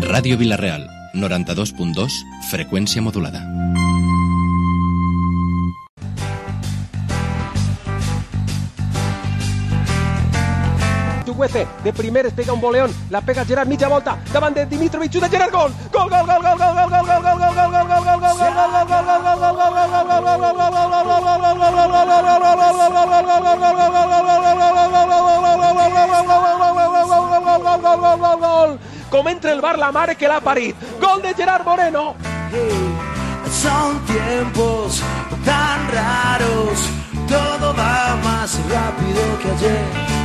Ràdio Vila-real, 92.2, freqüència modulada. De primer es pega un voleón, la pega Gerard, mitja volta, davant de Dimitrovic, de Gerard, gol! Gol, gol, gol, gol, gol, gol, gol, gol, gol, gol, gol, gol, gol, gol, gol, gol, com entra el bar la mare que l'ha parit. Gol de Gerard Moreno. Son tiempos tan raros, todo va más rápido que ayer.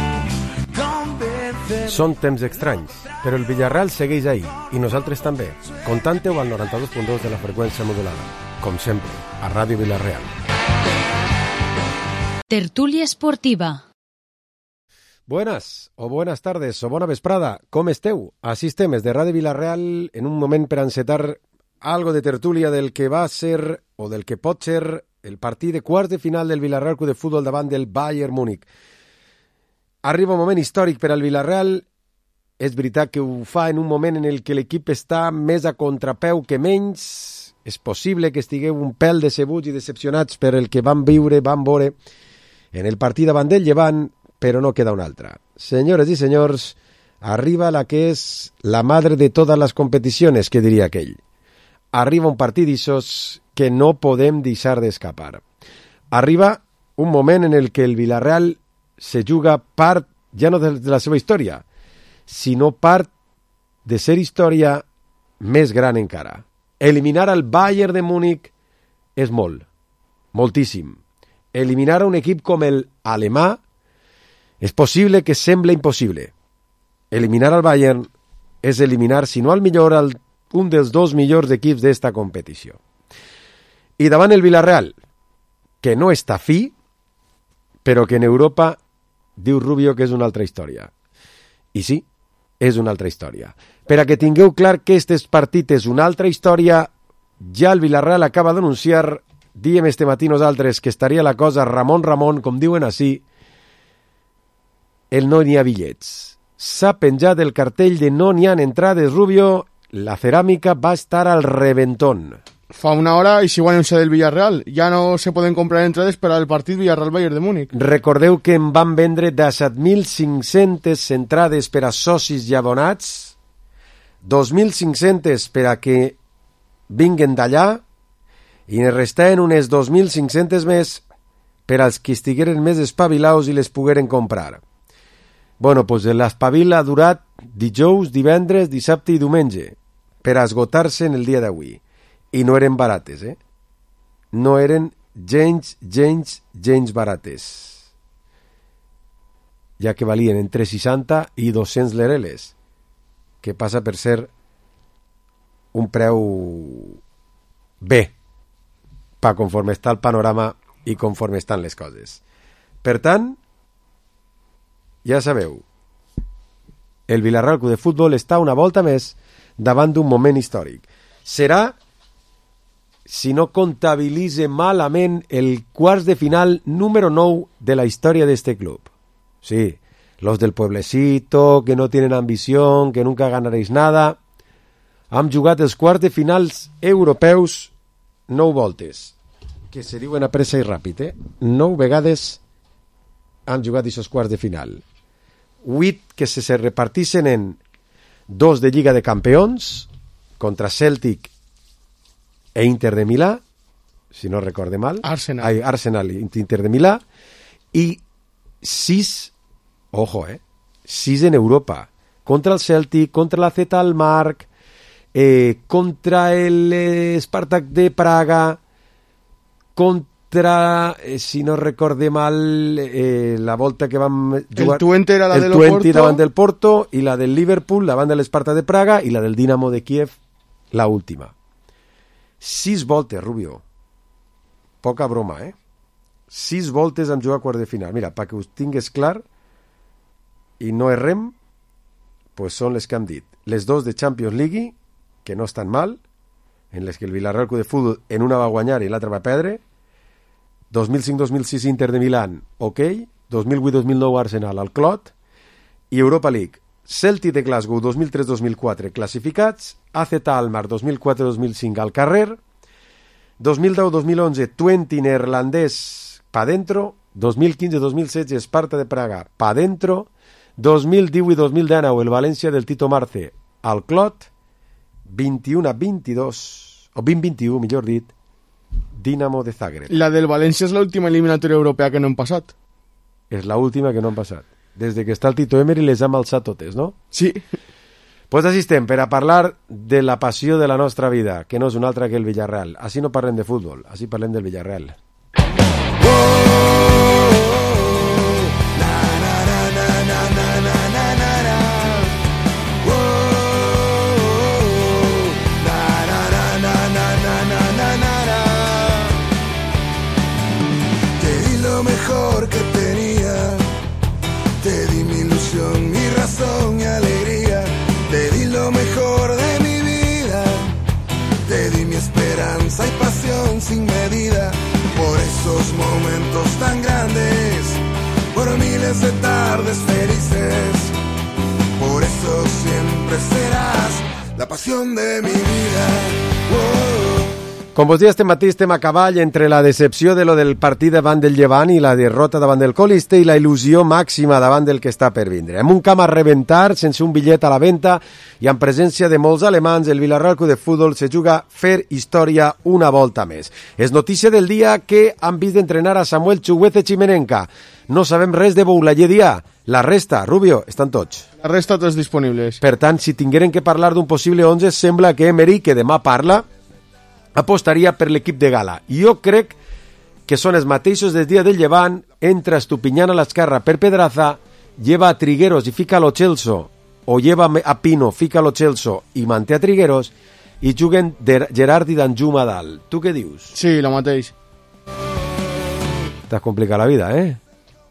Són temps estranys, però el Villarreal segueix ahí, i nosaltres també. Contante-ho al 92.2 de la freqüència modulada. Com sempre, a Ràdio Vila-real. Tertúlia esportiva. Buenas, o buenas tardes, o bona vesprada. Com esteu? Així estem, des de Ràdio Vila-real, en un moment per encetar algo de tertúlia del que va ser, o del que pot ser, el partit de quarts de final del Villarreal Club de Futbol davant del Bayern Múnich. Arriba un moment històric per al Villarreal. És veritat que ho fa en un moment en el que l'equip està més a contrapeu que menys. És possible que estigueu un pèl decebuts i decepcionats per el que van veure en el partit davant del Llevant, però no queda una altra. Senyores i senyors, arriba la que és la madre de totes les competicions, que diria aquell. Arriba un partit d'ixos que no podem deixar d'escapar. Arriba un moment en el que el Villarreal se juga part, ja no de la seva història, sinó part de ser història més gran encara. Eliminar el Bayern de Múnich és molt, moltíssim. Eliminar a un equip com el alemà és possible que sembla impossible. Eliminar al Bayern és eliminar, si no al millor, un dels dos millors equips d'esta competició. I davant el Villarreal, que no està fi, però que en Europa diu Rubio que és una altra història. I sí, és una altra història. Per a que tingueu clar que aquest partit és una altra història, ja el Villarreal acaba d'anunciar, diem este matí nosaltres, que estaria la cosa Ramon, com diuen així, el no n'hi ha bitllets. S'ha penjat el cartell de no n'hi ha entrades, Rubio, la ceràmica va estar al reventón. Fa una hora y se igual anunciado del Villarreal. Ya no se pueden comprar entradas para el partit Villarreal-Bayern de Múnich. Recordeu que en van vendre 17.500 entrades per a socis i abonats, 2.500 per a que vinguen d'allà, i ne restaven unes 2.500 més per als que estigueren més espavilaus i les pogueren comprar. Bueno, doncs l'espavil ha durat dijous, divendres, dissabte i diumenge per a esgotar-se en el dia d'avui. I no eren barates, No eren gens barates. Ja que valien entre 60 i 200 lereles, que passa per ser un preu bé, pa conforme està el panorama i conforme estan les coses. Per tant, ja sabeu, el Villarreal Club de Futbol està una volta més davant d'un moment històric. Serà, si no comptabilitze malament, el quarts de final número 9 de la història d'este club. Sí, los del pueblecito, que no tienen ambición, que nunca ganaréis nada, han jugat els quarts de finals europeus 9 voltes, que se diuen a pressa i ràpid, 9 vegades han jugat aquests quarts de final. 8 que se repartixen en 2 de Lliga de Campions, contra Celtic e Inter de Milà, si no recorde mal. Arsenal i Inter de Milà. I 6, ojo, 6 en Europa. Contra el Celtic, contra la Z Alkmaar, contra el Spartak de Praga, contra, si no recorde mal, la volta que vam jugar... El Twente era la del Porto. Davant del Porto, i la del Liverpool davant de l'Spartak de Praga, i la del Dinamo de Kiev, la última. 6 voltes, Rubio. Poca broma, 6 voltes hem jugat a quart de final. Mira, perquè us tingues clar i no errem, pues són les que hem dit. Les 2 de Champions League, que no estan mal, en les que el Villarreal Club de Futbol en una va guanyar i l'altra va perdre. 2005-2006 Inter de Milán, ok. 2008-2009 Arsenal al Clot. I Europa League, Celtic de Glasgow 2003-2004 classificats, AZ Alkmaar 2004-2005 al carrer, 2010-2011 Twente neerlandès pa dentro, 2015-2016 Esparta de Praga pa dentro, 2018-2019 el València del Tito Marce al Clot, 21-22 o 20-21 millor dit Dinamo de Zagreb. La del València és l'última eliminatòria europea que no hem passat. És l'última que no han passat. Des de que està el Tito Emery les hem alçat totes, no? Sí. Pues així estem, per a parlar de la passió de la nostra vida, que no és una altra que el Villarreal. Així no parlem de futbol, així parlem del Villarreal. Te di lo mejor que tenía, te di mi ilusión, mi razón, mi alegría, te di lo mejor de mi vida, te di mi esperanza y pasión sin medida, por esos momentos tan grandes, por miles de tardes felices, por eso siempre serás la pasión de mi vida. Com vos dia este matí estem a cavall entre la decepció de lo del partit davant del Llevant i la derrota davant del Coliste i la il·lusió màxima davant del que està per vindre. Amb un camp a rebentar, sense un bitllet a la venda i en presència de molts alemans, el Villarreal Club de Futbol se juga fer història una volta més. És notícia del dia que han vist d'entrenar a Samuel Chukwueze Chimenenka. No sabem res de Boulaye Dia. La resta, Rubio, estan tots. La resta tots disponibles. Per tant, si tingueren que parlar d'un possible 11, sembla que Emery, que demà parla, apostaria per l'equip de gala. Jo crec que són els mateixos del dia del Llevant, entra Estupiñán a l'esquerra per Pedraza, lleva a Trigueros i fica a Lo Celso, o lleva a Pino, fica a Lo Celso i manté a Trigueros, i juguen Gerard i Danjuma a dalt. Tu què dius? Sí, el mateix. T'has complicat la vida,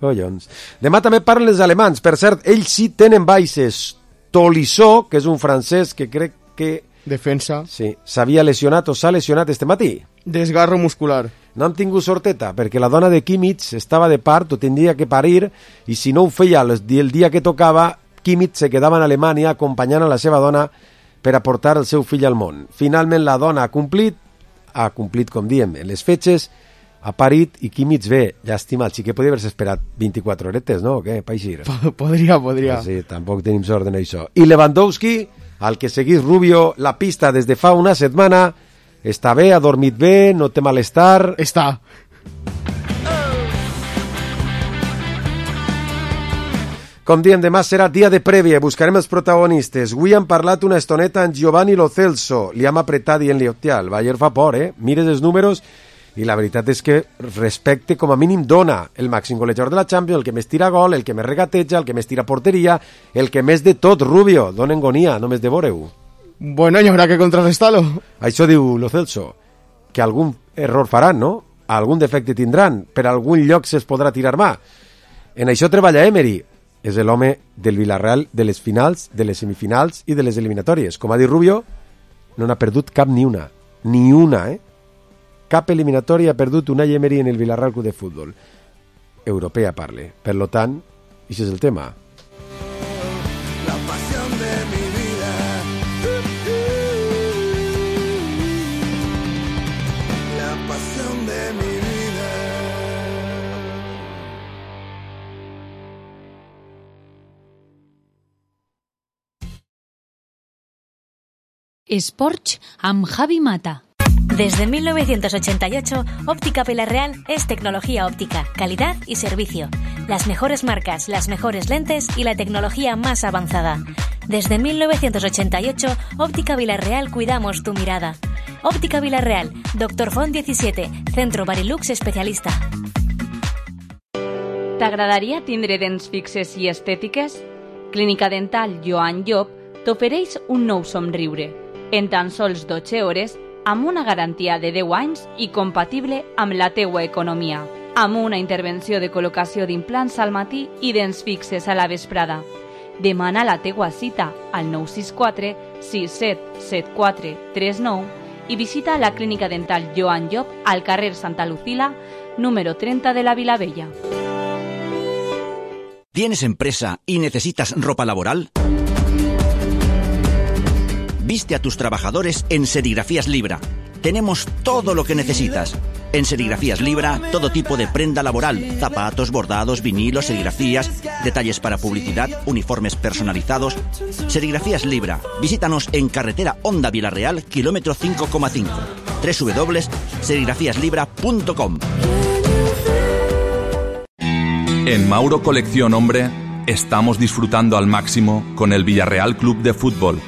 Collons. Demà també parlen els alemans. Per cert, ells sí tenen baixes. Tolisso, que és un francès que crec que Defensa. sí, s'havia lesionat o s'ha lesionat este matí. Desgarro muscular. No han tingut sorteta, perquè la dona de Kimmich estava de part o tindria que parir, i si no ho feia el dia que tocava, Kimmich se quedava en Alemanya acompanyant a la seva dona per aportar el seu fill al món. Finalment la dona ha complit com diem, en les fetges, ha parit i Kimmich ve. Llàstima, el xiquet podia haver-se esperat 24 horetes, no? O què? Paixir. Podria. Sí, tampoc tenim sort en això. I Lewandowski, al que seguís Rubio la pista des de fa una setmana, està bé, ha dormit bé, no té malestar. Està. Com diem, demà serà dia de prèvia, buscarem els protagonistes. Avui han parlat una estoneta en Giovanni Lo Celso, li hem apretat dient-li, hòstia, el Bayern fa por, mires els números, i la veritat és que respecte com a mínim dona el màxim golejador de la Champions, el que més tira gol, el que més regateja, el que més tira porteria, el que més de tot, Rubio, dona engonia, només de veure-ho. Bueno, hi haurà que contrarrestar-lo. Això diu Lo Celso, que algun error faran, no? Algun defecte tindran, per algun lloc se'ls podrà tirar mà. En això treballa Emery, és l'home del Villarreal de les finals, de les semifinals i de les eliminatòries. Com ha dit Rubio, no n'ha perdut cap ni una, Cap eliminatòria ha perdut Unai Emery en el Villarreal Club de Futbol. Europea parle. Per lo tant, això és el tema. La pasión de mi vida. La pasión de mi vida. Esports amb Javi Mata. Desde 1988, Óptica Villarreal es tecnología óptica, calidad y servicio. Las mejores marcas, las mejores lentes y la tecnología más avanzada. Desde 1988, Óptica Villarreal cuidamos tu mirada. Óptica Villarreal, Dr. Font 17, Centro Barilux especialista. T'agradaria tindre dents fixes i estètiques? Clínica Dental Joan Llop t'ofereix un nou somriure. En tan sols 12 hores, amb una garantia de 10 anys i compatible amb la teua economia. Amb una intervenció de col·locació d'implants al matí i dents fixes a la vesprada. Demana la teua cita al 964 6774 39 i visita la Clínica Dental Joan Llop al carrer Santa Lucila, número 30 de la Vilavella. ¿Tienes empresa y necesitas ropa laboral? Viste a tus trabajadores en Serigrafías Libra. Tenemos todo lo que necesitas. En Serigrafías Libra, todo tipo de prenda laboral, zapatos, bordados, vinilos, serigrafías, detalles para publicidad, uniformes personalizados. Serigrafías Libra. Visítanos en carretera Honda Vilareal, kilómetro 5,5. www.serigrafiaslibra.com. En Mauro Colección Hombre estamos disfrutando al máximo con el Villarreal Club de Fútbol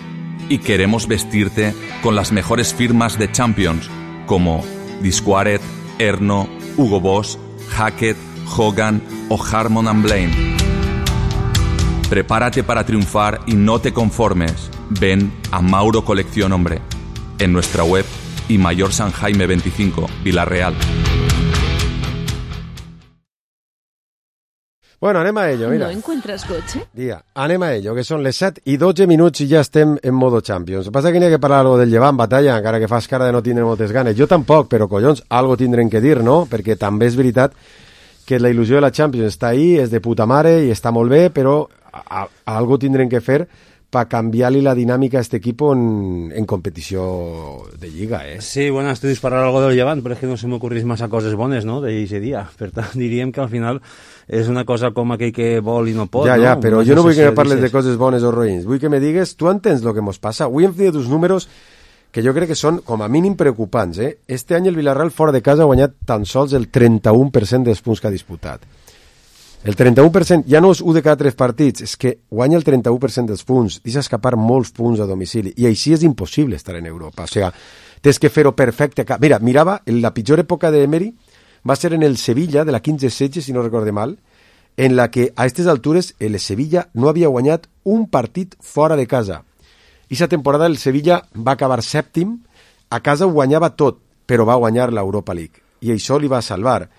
y queremos vestirte con las mejores firmas de Champions como Disquaret, Erno, Hugo Boss, Hackett, Hogan o Harmon & Blaine. Prepárate para triunfar y no te conformes. Ven a Mauro Colección Hombre en nuestra web y Mayor San Jaime 25, Vilareal. Bueno, anem a ello, mira. ¿No encuentras coche? Dia, anem a ello, que són les 7 i 12 minuts i ja estem en modo Champions. El que passa que n'hi ha que parlar algo del Llevant, Batalla, encara que fas cara de no tindre moltes ganes. Jo tampoc, però collons, algo tindrem que dir, no? Perquè també és veritat que la il·lusió de la Champions està ahí, és de puta mare i està molt bé, però algo tindrem que fer para canviar-li la dinàmica a este equipo en competició de Lliga, eh? Sí, bueno, estoy disparando algo del Llevant, però és que no se m'ocorrís massa coses bones, no?, d'aquest dia. Per tant, diríem que al final és una cosa com aquell que vol i no pot, ja, no? Ja, però jo no vull que me parles de coses bones o roïns. Vull que me digues, tu entens el que mos passa? Avui hem fet uns números que jo crec que són, com a mínim, preocupants, eh? Este any el Villarreal fora de casa ha guanyat tan sols el 31% dels punts que ha disputat. El 31% ja no és 1 de cada 3 partits, és que guanya el 31% dels punts, deixa escapar molts punts a domicili, i així és impossible estar en Europa. O sigui, tens que fer-ho perfecte. Mira, mirava, la pitjor època d'Emery va ser en el Sevilla, de la 15-16, si no recorde mal, en la que a aquestes altures el Sevilla no havia guanyat un partit fora de casa. Aquesta temporada el Sevilla va acabar sèptim, a casa ho guanyava tot, però va guanyar l'Europa League, i això li va salvar.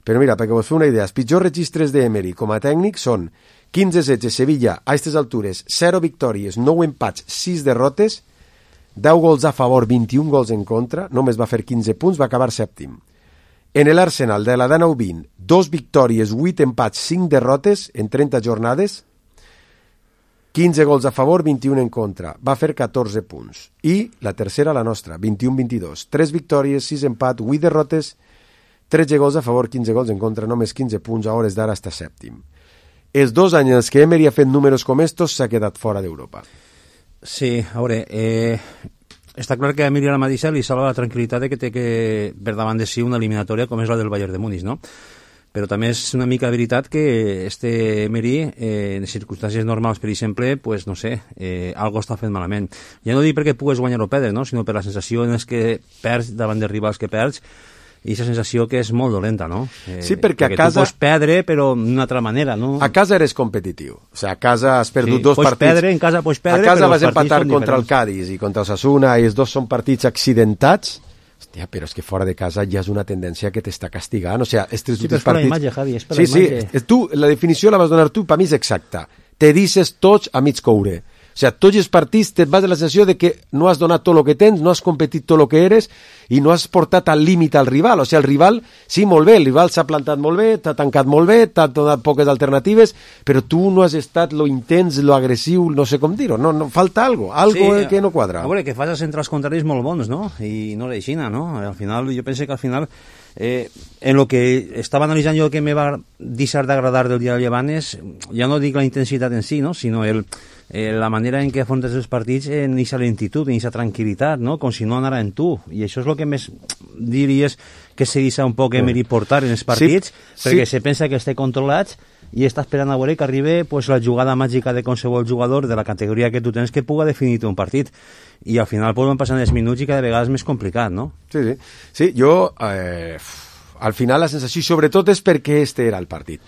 Però mira, perquè vos feu una idea, els pitjors registres d'Emery com a tècnic són 15-16 Sevilla, a aquestes altures, 0 victòries, 9 empats, 6 derrotes, 10 gols a favor, 21 gols en contra, només va fer 15 punts, va acabar sèptim. En l'Arsenal de la 19-20, 2 victòries, 8 empats, 5 derrotes en 30 jornades, 15 gols a favor, 21 en contra, va fer 14 punts. I la tercera, la nostra, 21-22, 3 victòries, 6 empats, 8 derrotes, 13 gols a favor, 15 gols en contra, només 15 punts, a hores d'ara està sèptim. Els 2 anys en els que Emery ha fet números com estos s'ha quedat fora d'Europa. Sí, a veure, està clar que a Emery ara mateixa li salva la tranquil·litat de que té que per davant de si una eliminatòria com és la del Bayern de Múnich, no? Però també és una mica veritat que este Emery, en circumstàncies normals, per exemple, pues no sé, algo està fent malament. Ja no dic perquè pugues guanyar o perdre, no?, sinó per la sensació en els que perds davant de rivals que perds, i aquesta sensació que és molt dolenta, no? Sí, perquè a casa... tu pots perdre, però d'una altra manera, no? A casa eres competitiu. O sigui, a casa has perdut 2 partits. Perdre, en casa pots perdre, a casa però vas empatar contra el Cádiz i contra el Osasuna, i els 2 són partits accidentats. Hòstia, però és que fora de casa ja és una tendència que t'està castigant. O sigui, estos sí, però és per partits... la imatge, Javi, és per la imatge. Sí, tu, la definició la vas donar tu, per mi és exacta. Te dices tots a mig coure. O sigui, tots els partits te vas de la sensació de que no has donat tot el que tens, no has competit tot el que eres i no has portat al límit al rival. O sigui, el rival, sí, molt bé, el rival s'ha plantat molt bé, t'ha tancat molt bé, t'ha donat poques alternatives, però tu no has estat lo intens, lo agressiu, no sé com dir-ho, no, falta algo sí, que no quadra. A veure, que fas a centrals contraris molt bons, no? I no l'aixina, no? Al final, jo penso que al final en lo que estava analitzant jo que me va deixar d'agradar del dia del Llevant és, ja no dic la intensitat en si, no?, sinó la manera en què afrontes els partits en aquesta lentitud, en aquesta tranquil·litat, no?, com si no anara en tu, i això és el que més diries que se deixa un poc Emery portar en els partits, sí, perquè se pensa que esté controlats i està esperant a veure que arribi pues, la jugada màgica de qualsevol jugador de la categoria que tu tens que puga definir un partit, i al final pues, van passant els minuts i cada vegada és més complicat, no? Sí, jo al final la sensació sobretot és perquè este era el partit.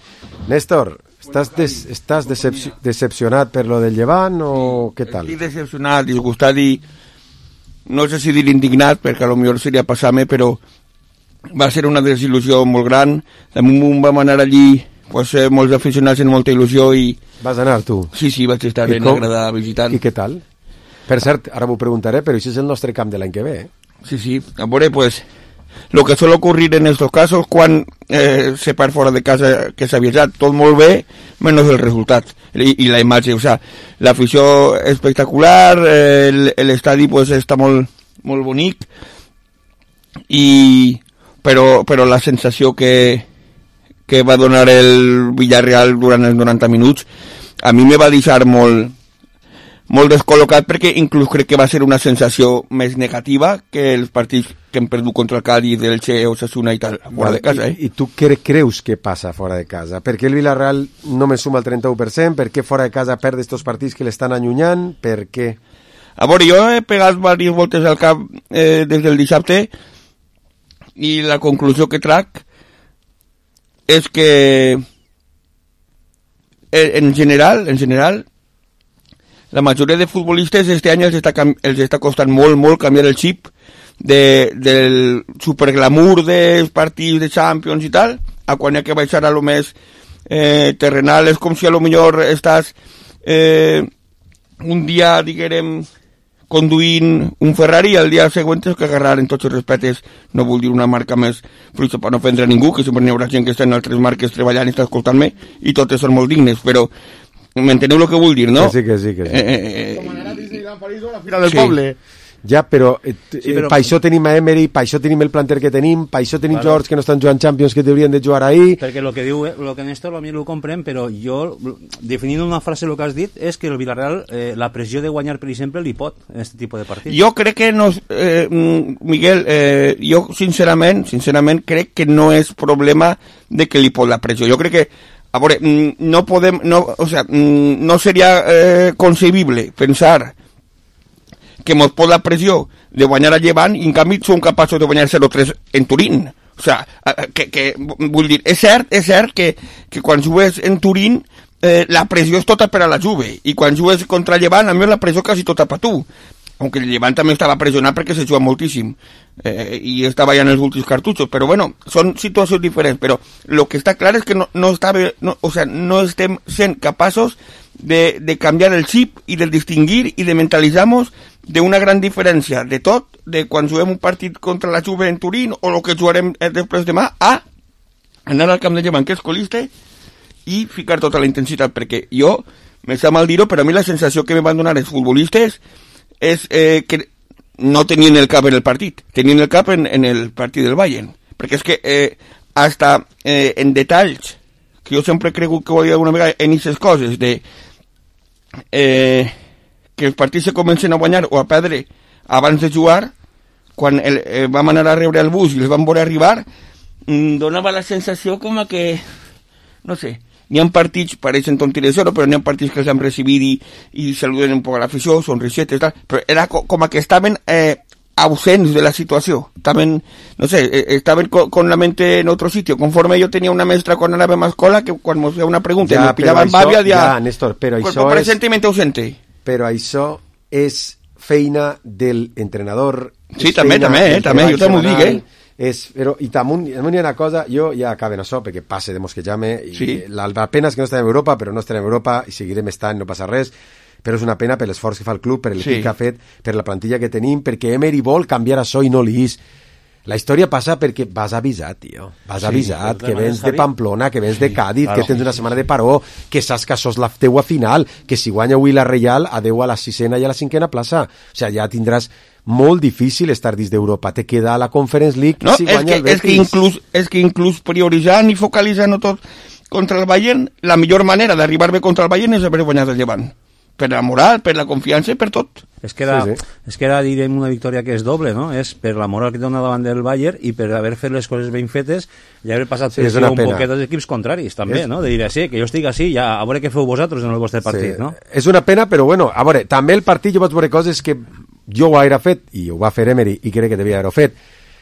Néstor, estàs decepcionat per lo del Llevant o què tal? Estic decepcionat, disgustat i no sé si dir indignat perquè a lo millor seria passar-me, però va ser una desil·lusió molt gran. De moment vam anar allí pues, molts aficionats amb molta il·lusió i... Vas anar tu? Sí, vaig estar ben agradat visitant. I què tal? Per cert, ara m'ho preguntaré, però això és el nostre camp de l'any que ve, eh? Sí, a veure, pues, lo que suele ocurrir en estos casos quan se perd fora de casa, que s'ha avisat tot molt bé, menos el resultat i la imatge, o sea, l'afició espectacular, l'estadi pues està molt bonic, però la sensació que va donar el Villarreal durant els 90 minuts a mi me va deixar molt descol·locat, perquè inclús crec que va ser una sensació més negativa que els partits que hem perdut contra el Cádiz, el Che, Osasuna i tal, fora de casa. I tu què creus que passa fora de casa? Per què el Villarreal només suma el 31%? Per què fora de casa perd estos partits que l'estan allunyant? Per què? A veure, jo he pegat diverses voltes al cap des del dissabte i la conclusió que trac és que en general la majoria de futbolistes este any els està costant molt canviar el xip del superglamour dels partits de Champions i tal, a quan hi ha que baixar a lo més terrenal. És com si a lo millor estàs un dia, diguem, conduint un Ferrari i el dia següent és que agarrar, en tots els respectes, no vull dir una marca més fruita per no ofendre a ningú, que sempre n'hi haurà gent que està en altres marques treballant i està escoltant-me i totes són molt dignes, però m'enteneu el que vull dir, no? Que sí. Com anar a Disneyland París o a la Fira del Poble. Ja, però per això tenim a Emery, per això tenim el planter que tenim, per això tenim jugadors que no estan jugant Champions que deurien de jugar ahí. Perquè el que diu, el que Néstor a mi ho comprèn, però jo, definint una frase el que has dit, és que el Villarreal, la pressió de guanyar, per exemple, li pot en aquest tipus de partits. Jo crec que no, Miguel, jo sincerament crec que no és problema de que li pot la pressió. Jo crec que a veure, no seria concebible pensar que mos pot la pressió de guanyar a Llevant i en canvi som capaços de guanyar 0-3 en Turín. O sea, que vull dir, és cert que quan jugues en Turín la pressió és tota per a la Juve i quan jugues contra Llevant a mi la pressió quasi tota per tu. Aunque el Llevant també estava pressionat perquè se juga moltíssim i estava ja en els últims cartutxos, però bueno, són situacions diferents, però el que està clar és que no estem sent capaços de canviar el xip i de distingir i de mentalitzar-nos d'una gran diferència de tot, de quan juguem un partit contra la Juve en Turín o el que jugarem després demà, a anar al camp de Llevant, que és colista, i ficar tota la intensitat, perquè jo, me sap mal dir-ho, però a mi la sensació que me van donar els futbolistes és que no tenien el cap en el partit, tenien el cap en el partit del Bayern, perquè és que hasta en detalls que jo sempre he cregut que ho havia alguna vegada en aquestes coses de que els partits se comencen a guanyar o a perdre abans de jugar, quan vam anar a rebre el bus i els vam veure arribar, donava la sensació com a que, no sé, n'hi ha partits, pareixen tonteries, però n'hi ha partits que els han recibit i saluden un poc a l'afició, sonrisetes, tal, però era com a que estaven ausents de la situació, estaven, no sé, estaven con la mente en otro sitio, conforme yo tenía una maestra quan anàvem a escola que quan me feia una pregunta i me pillava en bàbia, Néstor, però això presentiment ausente. Però això és feina del entrenador. Sí, també, jo també ho dic, Però, i també hi ha una cosa, jo ja acaben això, perquè passe de mosquejar-me, sí. La pena és que no estem en Europa, però no estem en Europa i seguirem estant, no passa res, però és una pena per l'esforç que fa el club, per l'equip que ha fet, per la plantilla que tenim, perquè Emery vol canviar això i no li és. La història passa perquè vas avisat, tio. Vas avisat, que vens de Pamplona, que vens de Cádiz, que tens una setmana de paró, que saps que això és la teua final, que si guanya avui la Reial, adeu a la 6ª i a la 5ª plaça. O sigui, ja tindràs molt difícil estar dins d'Europa. Te queda a la Conference League si guanya el Betis. És que inclús prioritzant i focalitzant tot contra el Bayern, la millor manera d'arribar bé contra el Bayern és haver guanyat el Llevant. Per la moral, per la confiança, per tot. És que era, direm, una victòria que és doble, no? És per la moral que dona davant del Bayern i per haver fet les coses ben fetes i haver passat pressió un poquet dels equips contraris, també, no? De dir, sí, que jo estic així, ja, a veure què feu vosaltres en el vostre partit, no? És una pena, però bueno, a veure, també el partit jo vaig veure coses que jo ho hauria fet, i ho va fer Emery, i crec que devia haver-ho fet,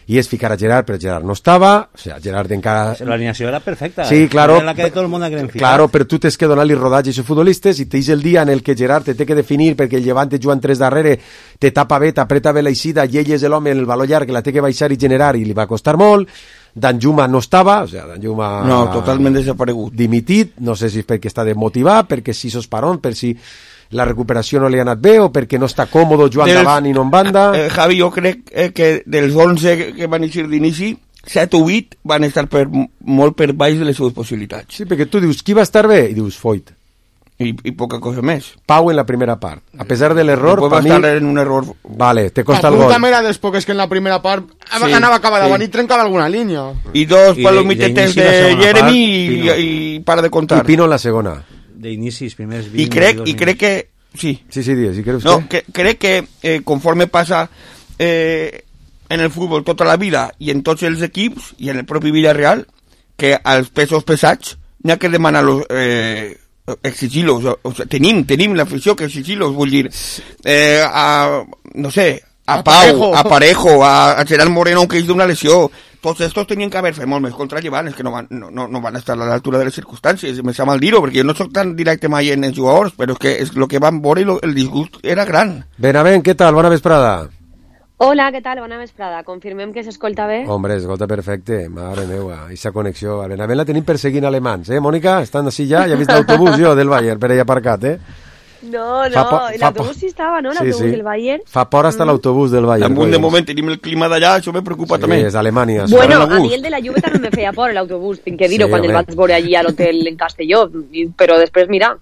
i és ficar a Gerard, però Gerard no estava, o sea, Gerard encara... L'alineació era perfecta. Sí, claro. Era la que tot el món haguem ficat. Claro, però tu tens que donar-li rodatge a aquests futbolistes i tens el dia en el que Gerard te té que definir perquè el Llevant te jugant 3 darrere, te tapa bé, t'apreta bé l'eixida, i ell és l'home en el valor llarg que la té que baixar i generar i li va costar molt. Danjuma no estava, o sea, Danjuma... No, totalment desaparegut. Dimitit, no sé si és perquè està desmotivat, perquè si sos parón, per si... la recuperació no li ha anat bé o perquè no està còmode jugant davant i no en banda? Javi, jo crec que dels 11 que van eixir d'inici, 7 o 8 van estar molt per baix de les seves possibilitats. Sí, perquè tu dius, qui va estar bé? I dius, Foyt. I poca cosa més. Pau en la primera part. A pesar del error, per mi... en un error... Vale, te costa el gol. També era dels poques que en la primera part anava cap davant i trencava alguna línia. I dos palomitetes de Jeremy i para de contar. I Pino en la segona. D'inicis, primers 20... I crec que... Sí. Sí, digues, si creus no, crec que conforme passa en el futbol tota la vida i en tots els equips i en el propi Villarreal, que als pesos pesats n'hi ha que demanar-los... exigir-los, o sea, tenim l'afició que exigir-los, vull dir no sé, a Pau, a Parejo, a Gerard Moreno, que és d'una lesió, tots estos tenien que haver fet molt més contra Llevant, és que no van estar a l'altura de les circumstàncies, me sap mal dir-ho, perquè jo no soc tan directe mai en els jugadors, però és que és el que van veure i el disgust era gran. Benavent, què tal? Bona vesprada. Hola, què tal? Bona vesprada. Confirmem que s'escolta bé? Hombre, escolta perfecte. Mare meva, aquesta connexió. A Benavent la tenim perseguint alemans, Mònica? Estan així ja? Ja he vist l'autobús jo del Bayern per allà aparcat, No, l'autobús sí estava, no? L'autobús del Bayern. Fa por hasta l'autobús del Bayern. De moment tenim el clima d'allà, això me preocupa també. Sí, és Alemanya. Bueno, a mi el de la Juve també me feia por l'autobús, tinc que dir-ho, quan el vaig veure allí a l'hotel en Castelló, però després, mira...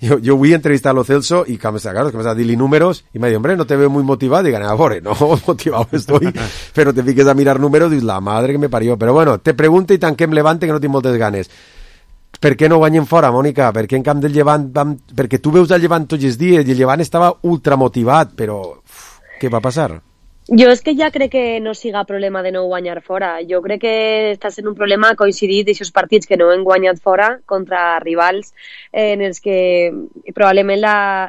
Yo voy a entrevistar a Lo Celso y claro, que me está dando números y me dice, hombre, no te veo muy motivado. Y gané, no, motivado estoy, pero te fiques a mirar números y dices, la madre que me parió. Pero bueno, te pregunto y tanquem Levante que no tinc moltes ganes. Per què no guanyen fora, Mònica? Per què en camp del Llevant perquè tu veus el Llevant tots els dies i el Llevant estava ultramotivat, però què va passar? Jo és que ja crec que no siga problema de no guanyar fora. Jo crec que està sent un problema coincidit d'aquests partits que no han guanyat fora contra rivals en els que probablement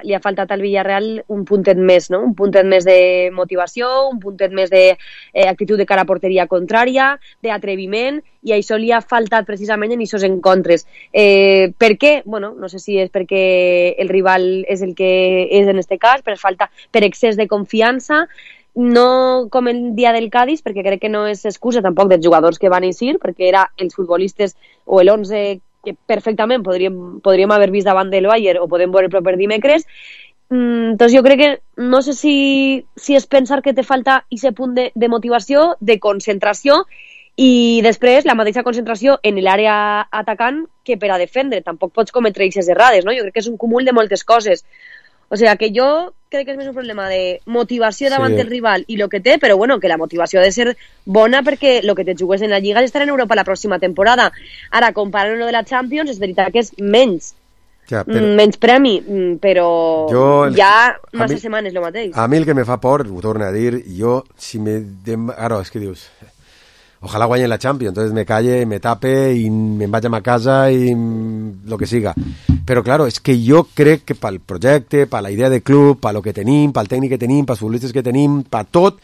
li ha faltat al Villarreal un puntet més, no? Un puntet més de motivació, un puntet més d'actitud de cara a porteria contrària, d'atreviment, i això li ha faltat precisament en aquests encontres. Per què? Bueno, no sé si és perquè el rival és el que és en este cas, per excés de confiança, no com el dia del Cádiz, perquè crec que no és excusa tampoc dels jugadors que van eixir, perquè era els futbolistes o l'11 que perfectament podríem haver vist davant del Bayern o podem veure el proper dimecres. Doncs jo crec que no sé si és pensar que te falta aquest punt de motivació, de concentració, i després la mateixa concentració en l'àrea atacant que per a defendre. Tampoc pots cometre aquestes errades, no? Jo crec que és un cúmul de moltes coses. O sea, que jo crec que és més un problema de motivació davant del rival i el que té, però bueno, que la motivació ha de ser bona perquè el que te jugues en la Lliga és estar en Europa la pròxima temporada. Ara, comparant lo de la Champions, és veritat que és menys premi, però ja massa setmanes el mateix. A mi el que me fa por, ho torno a dir, jo, si Ara, és que dius... Ojalá guanyen la Champions, entonces me calle, me tape y me vaya a casa y lo que siga. Pero claro, es que yo crec que pel projecte, per la idea de club, per lo que tenim, pel tècnic que tenim, pels futbolistes que tenim, per tot,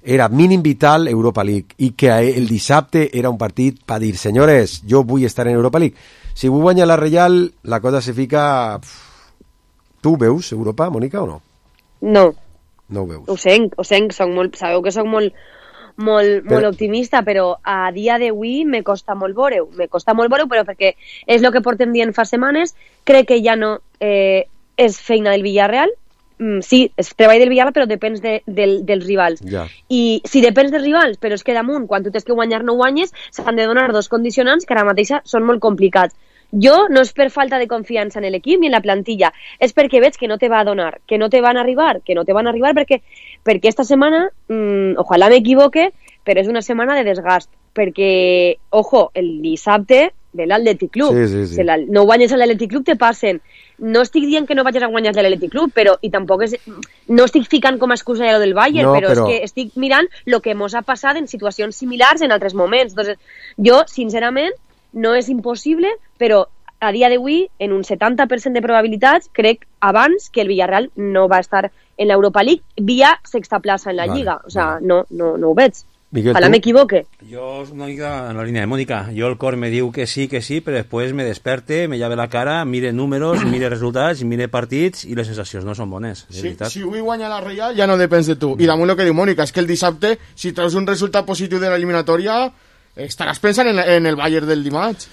era mínim vital Europa League. I que el dissabte era un partit per dir, senyores, jo vull estar en Europa League. Si vull guanyar la Real, la cosa se fica... Tu veus Europa, Mònica, o no? No. No ho veus. Ho senc, sabeu que soc molt optimista, però a dia d'avui me costa molt veure-ho, però perquè és el que portem dient fa setmanes. Crec que ja no és feina del Villarreal, sí, és treball del Villarreal, però depèn dels rivals. I si depèns dels rivals, però és que damunt, quan tu tens que guanyar no guanyes, s'han de donar dos condicionants que ara mateixa són molt complicats. Jo no és per falta de confiança en l'equip ni en la plantilla, és perquè veig que no te va a donar, que no te van a arribar perquè esta setmana, ojalà m'equivoque, però és una setmana de desgast, perquè, ojo, el dissabte de l'Atlètic Club, si no guanyes a l'Atlètic Club te passen. No estic dient que no vagis a guanyar l'Atlètic Club, però, i tampoc no estic ficant com a excusa lo del Bayern, però és que estic mirant el que mos ha passat en situacions similars en altres moments. Entonces, jo, sincerament, no és impossible, però a dia d'avui, en un 70% de probabilitats, crec abans que el Villarreal no va estar en l'Europa League via sexta plaça en la Lliga. O sea, no ho veig. Ojalá me equivoque. Yo una mica en la línea de Mónica. Yo el cor me diu que sí, però després me desperte, me llave la cara, mire números, mire resultats, mire partits i les sensacions no són bones. Si avui guanya la Real ja no depèn de tu. I damunt el que diu Mónica és que el dissabte, si treus un resultat positiu de l'eliminatòria, estaràs pensant en el Bayern del dimarts.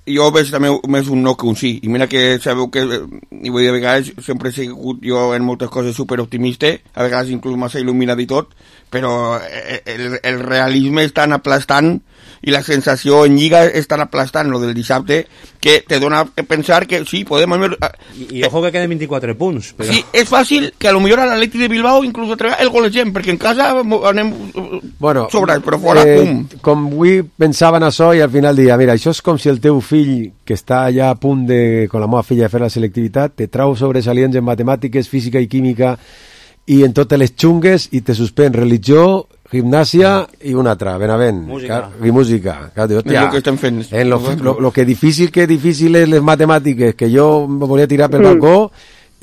jo veig també més un no que un sí, i mira que sabeu que, i vull dir, a vegades sempre he sigut jo en moltes coses superoptimista, a vegades inclús massa il·luminat i tot, però el realisme és tan aplastant i la sensació en Lliga és tan aplastant, lo del dissabte, que te dona a pensar que sí, podem... I ojo que queden 24 punts. Però... Sí, és fàcil que a lo millor a l'Atlètic de Bilbao inclús atrevir el golegem, perquè en casa anem sobrats, però fora, pum. Com avui pensava en això i al final dia, mira, això és com si el teu fill, que està ja a punt de, con la meva filla, de fer la selectivitat, te trau sobresalients en matemàtiques, física i química i en totes les xungues i te suspèn religió, gimnàsia i una altra, Benavent. Música. I música. Clar, dius, és el que estem fent. En lo que difícil és les matemàtiques, que jo me volia tirar pel balcó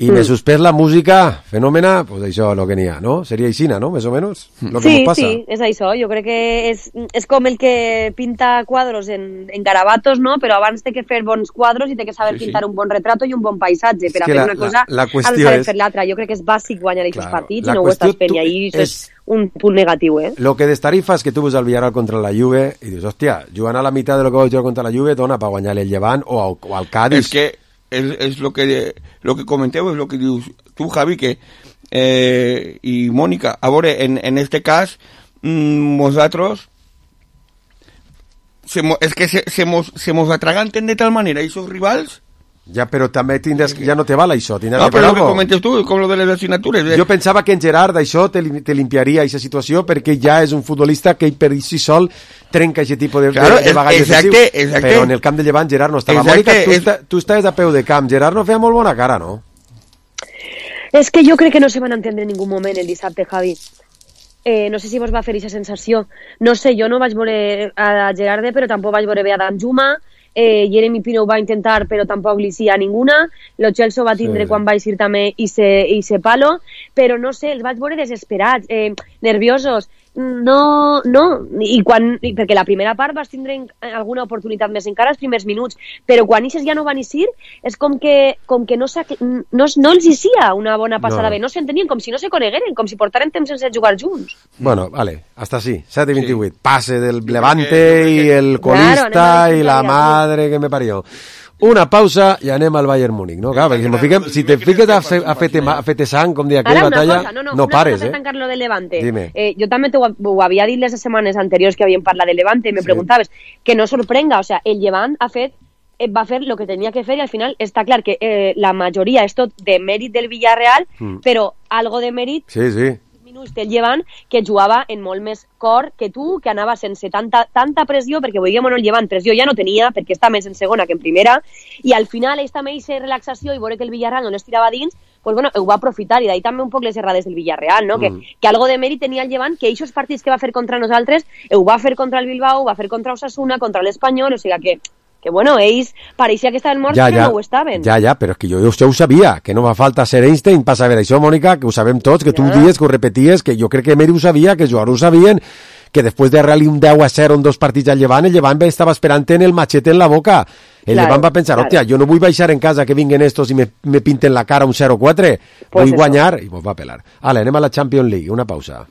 i me suspès la música, fenòmena, pues això és el que n'hi ha, no? Seria aixina, no? Més o menys? Lo que sí, passa. Sí, és això. Jo crec que és com el que pinta quadros en garabatos, no? Però abans té que fer bons quadros i té que saber pintar un bon retrato i un bon paisatge. Per a fer una cosa has de saber fer l'altra. Jo crec que és bàsic guanyar aquests partits i no ho estàs fent. I ahí és un punt negatiu, eh? Lo que destarifa és que tu vas al Villarreal contra la Juve i dius, hòstia, jugant a la meitat de lo que vas jugar contra la Juve dona per guanyar el Llevant o al Cádiz. És que és lo que comenteu, és lo que dius tu, Javi, que i Mònica, a veure, en este cas nosaltres és que se mos atraganten de tal manera esos rivals. Ja, però també tindràs, ja no te val això. No, però el que comentes tu, com lo de les assignatures. Jo pensava que en Gerard això te limpiaria aquesta situació perquè ja és un futbolista que per si sol trenca aquest tipus de bagall defensiu. Però en el camp de Llevant Gerard no estava. Mònica, tu estaves a peu de camp. Gerard no feia molt bona cara, no? És que jo crec que no se van entendre en ningú moment el dissabte, Javi. No sé si vos va fer aquesta sensació. No sé, jo no vaig veure a Gerarde, però tampoc vaig veure bé a Danjuma. Jeremy Pino ho va intentar però tampoc li sia ninguna. Lo Celso va tindre quan va eixir també i se palo, però no sé, els vaig veure desesperats, nerviosos. No, perquè la primera part vas tindre alguna oportunitat més encara els primers minuts, però quan ixes ja no van eixir, és com que no els hi sia una bona passada bé, no s'entenien, com si no se conegueren, com si portaren temps sense jugar junts. Bueno, vale, hasta así, 7-28, pase del Levante y el colista y la madre que me parió. Una pausa i anem al Bayern Múnich, no? Clar, perquè si te fiques a fer sang, com deia aquella batalla, no pares, eh? Ara, una cosa, per tancar lo del Levante. Jo també ho havia dit les setmanes anteriors que havíem parlat del Levante i me preguntaves que no sorprenga, o sea, el Levant va fer el que tenia que fer i al final està clar que la majoria és tot de mèrit del Villarreal, però algo de mèrit... Sí. Del Llevant, que jugava en molt més cor que tu, que anava sense tanta pressió, perquè veiem el Llevant pressió ja no tenia, perquè està més en segona que en primera, i al final ells també aquesta relaxació i veure que el Villarreal no les tirava dins, pues bueno, ho va aprofitar, i d'ahí també un poc les errades del Villarreal, no? Que algo de mèrit tenia el Llevant, que aquests partits que va fer contra nosaltres, ho va fer contra el Bilbao, ho va fer contra Osasuna, contra l'Espanyol, o sigui que bueno, ells pareixia que estaven morts, però no ho estaven. Ja, però és que jo ho sabia, que no va falta ser Einstein per saber això, Mònica, que ho sabem tots, que tu ho dies, que ho repeties, que jo crec que Meri ho sabia, que els jugadors ho sabien, que després de realitzar un 10-0 en 2 partits al Llevant, el Llevant estava esperant en el machete en la boca. El Llevant va pensar, hòstia, jo no vull baixar en casa que vinguen estos i me pinten la cara un 0-4, vull guanyar, i mos va pelar. Ale, anem a la Champions League, una pausa.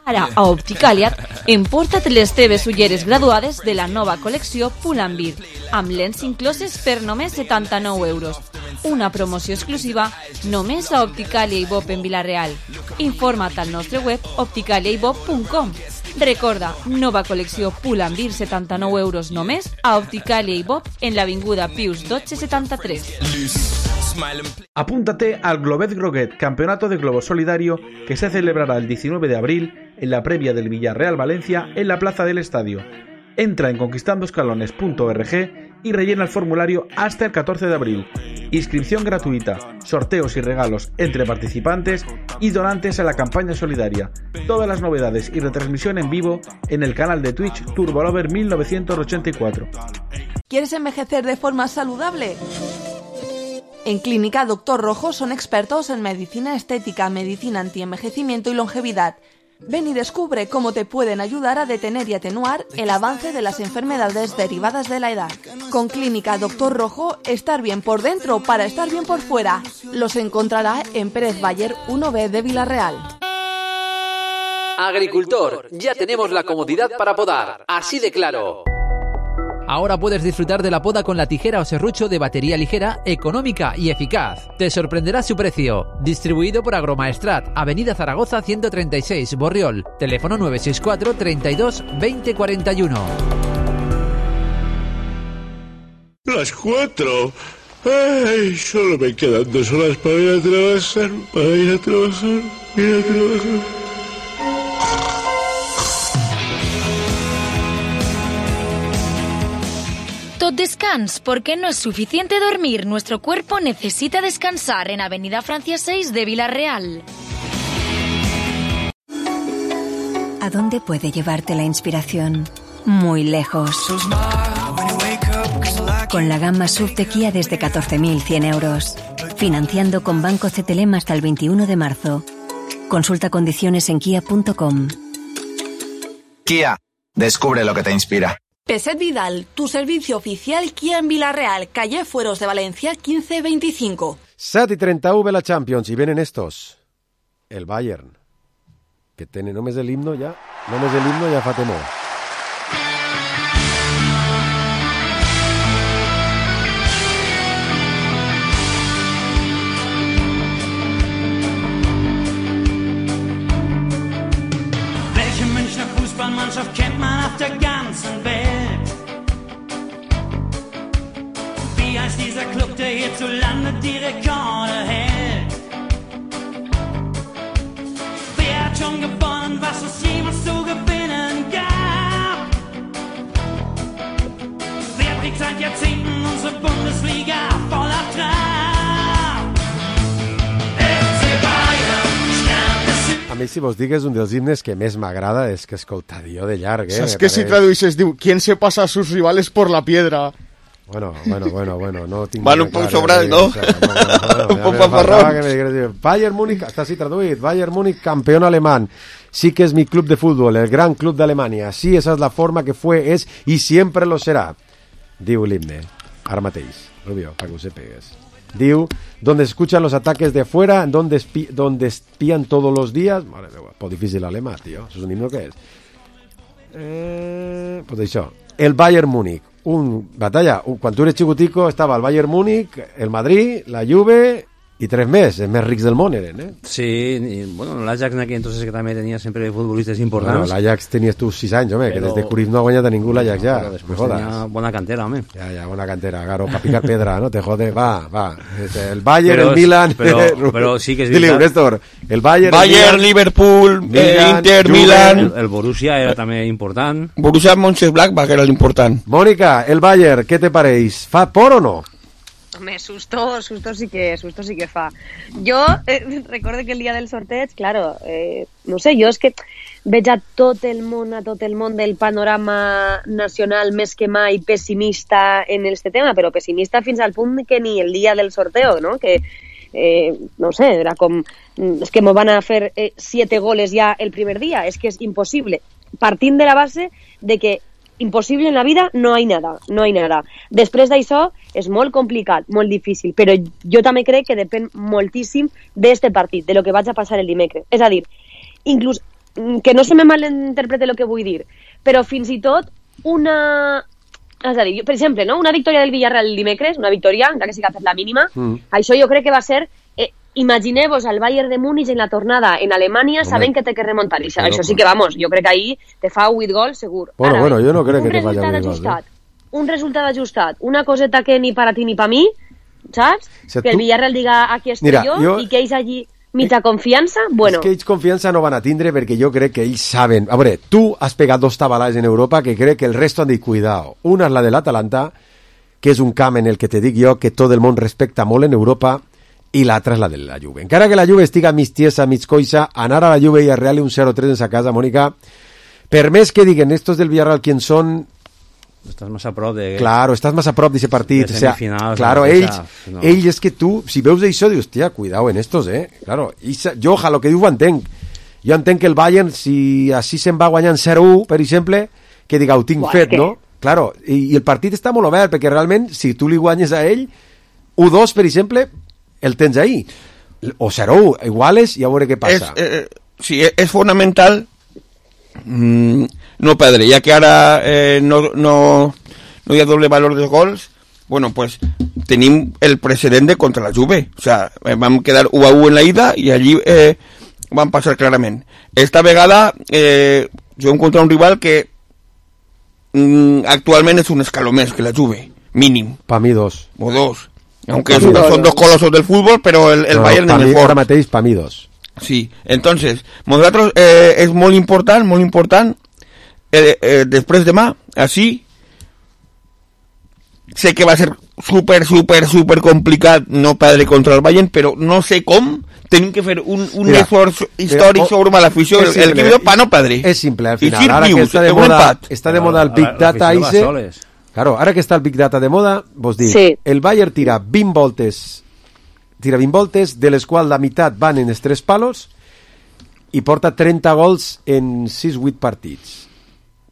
Ara, a Opticàlia, emporta't les teves ulleres graduades de la nova col·lecció Pull&Bear, amb lents incloses per només 79 euros. Una promoció exclusiva només a Opticàlia i Bob en Vila-real. Informa't al nostre web opticaliaibob.com. Recorda, nova col·lecció Pull&Bear, 79 euros només a Opticàlia i Bob en l'avinguda Pius 1273. Apúntate al Globet Groguet, campeonato de globo solidario que se celebrará el 19 de abril en la previa del Villarreal Valencia en la Plaza del Estadio. Entra en conquistandoscalones.org y rellena el formulario hasta el 14 de abril. Inscripción gratuita, sorteos y regalos entre participantes y donantes a la campaña solidaria. Todas las novedades y retransmisión en vivo en el canal de Twitch Turbolover 1984. ¿Quieres envejecer de forma saludable? En Clínica Doctor Rojo son expertos en medicina estética, medicina antienvejecimiento y longevidad. Ven y descubre cómo te pueden ayudar a detener y atenuar el avance de las enfermedades derivadas de la edad. Con Clínica Doctor Rojo, estar bien por dentro para estar bien por fuera. Los encontrará en Pérez Bayer 1B de Vila-real. Agricultor, ya tenemos la comodidad para podar, así de claro. Ahora puedes disfrutar de la poda con la tijera o serrucho de batería ligera, económica y eficaz. Te sorprenderá su precio. Distribuido por Agromaestrat, Avenida Zaragoza 136, Borriol. Teléfono 964 32 20 41. Las 4. Ay, solo me quedan 2 horas para ir a trabajar. Tot descans, porque no es suficiente dormir. Nuestro cuerpo necesita descansar en Avenida Francia 6 de Villarreal. ¿A dónde puede llevarte la inspiración? Muy lejos. Con la gama SUV de Kia desde 14.100 euros. Financiando con Banco CTLM hasta el 21 de marzo. Consulta condiciones en kia.com. Kia, descubre lo que te inspira. Peset Vidal, tu servicio oficial Kia en Villarreal, calle Fueros de Valencia 1525. 7:30 la Champions, y vienen estos. El Bayern, que tiene només del himno ya fa temor. Welche Münchner Fußballmannschaft kennt man auf der ganzen Welt? Wie heißt dieser Club, der hierzulande die Rekorde hält? Wer hat schon gewonnen, was es jemals zu gewinnen gab? Wer trägt seit Jahrzehnten unsere Bundesliga voller Trab? FC Bayern, Stern des Südens. A mi, si vos digues, un dels himnes que més m'agrada és que escoltar jo de llarg, O sea, es que si traduïsses, diu, ¿quién se pasa a sus rivales por la piedra? Bueno, no tinc... Van un poc sobrats, no? Un poc fanfarrons. Bayern Múnich, està així traduït, Bayern Múnich, campeón alemán. Sí que es mi club de fútbol, el gran club de Alemania. Sí, esa es la forma que fue, es y siempre lo será. Diu l'himne, ara mateix, Rubio, para que ho sepegues. Diu, donde escuchan los ataques de fuera, donde espían todos los días... Madre meva, poc difícil alemà, tio. Això és un himno que és. Pues això, el Bayern Múnich. Quan tu eres xicutico estava el Bayern Múnich, el Madrid, la Juve i 3 més, els més rics del món eren, Sí, i, bueno, l'Ajax en aquell entonces que també tenia sempre futbolistes importants. Bueno, l'Ajax tenies tu 6 anys, home, que des de Cruyff no ha guanyat a ningú l'Ajax ja. Però després tenia bona cantera, home. Ja, bona cantera, claro, pa picar pedra, no te jode, va. El Bayern, el Milan... Però sí que és veritat. Dile, Néstor, el Bayern, Liverpool, Inter, Milan... El Borussia era també important. Borussia Mönchengladbach era l'important. Mónica, el Bayern, què te pareix? Fa por o no? Home, susto sí que fa. Jo recordo que el dia del sorteig, claro, no sé, jo és que veig a tot el món del panorama nacional més que mai pessimista en este tema, però pessimista fins al punt que ni el dia del sorteo, no? Que, no sé, era com, és que m'ho van a fer 7 goles ja el primer dia, és que és impossible. Partint de la base de que impossible en la vida no hay nada. Després d'això és molt complicat, molt difícil, però jo també crec que depèn moltíssim d'este partit, de lo que vaig a passar el dimecres. És a dir, inclús, que no se me malinterprete el que vull dir, però fins i tot una... És a dir, per exemple, no? Una victòria del Villarreal el dimecres, una victòria, encara que siga per la mínima, això jo crec que va ser... Imagineu-vos al Bayern de Múnich en la tornada en Alemanya sabent que té que remuntar. Això sí que, vamos, jo crec que ahí te fa 8 gols segur. Bueno, jo no crec que te faci 8 gols. Un resultat ajustat, una coseta que ni para ti ni para mi, saps? Que el Villarreal diga aquí estoy jo i que ells allí mitja confiança, bueno... És que ells confiança no van a tindre perquè jo crec que ells saben... A veure, tu has pegat 2 tabalades en Europa que crec que el resto han dit cuidado. Una és la de l'Atalanta, que és un camp en el que te dic jo que tot el món respecta molt en Europa, i l'altra és la de la Juve. Encara que la Juve estiga mig tiesa, mig coixa, anar a la Juve i a Real un 0-3 en sa casa, Mònica, per més que diguen estos del Villarreal quién son... Estàs més a prop de... Claro, estàs més a prop d'aquest partit. De semifinals. Claro, ells és que tu, si veus això, dius, hòstia, cuidao en estos, Claro, jo, el que diu ho entenc. Jo entenc que el Bayern, si així se'n va guanyant 0-1, per exemple, que diga, ho tinc fet, no? Claro, i el partit està molt obert, perquè realment, si tu li guanyes a ell, 1-2, per exemple... el tens ahí, o 0-1 iguales i a veure què passa. Sí, és fonamental no perdre, ja que ara no no hi ha doble valor dels gols, bueno, pues tenim el precedent de contra la Juve. O sea, vam quedar 1-1 en la ida i allí van passar clarament. Esta vegada juguem contra un rival que actualment és un escaló més que la Juve, mínim. Pa mi 2. O 2. Aunque son dos colosos del fútbol, pero el Bayern es mejor. Ara mateix, pa mi 2. Sí, entonces, nosaltres és molt important, després demà, així, sé que va ser super complicat no perdre contra el Bayern, però no sé com tenim que fer un esforç històric sobre l'afició, el equipo para no perdre. És simple, al final. Ara que està de moda el Big Data, claro, ara que està el Big Data de moda, vos dic, el Bayern tira 20 voltes, de les quals la meitat van en els 3 palos i porta 30 gols en 6-8 partits.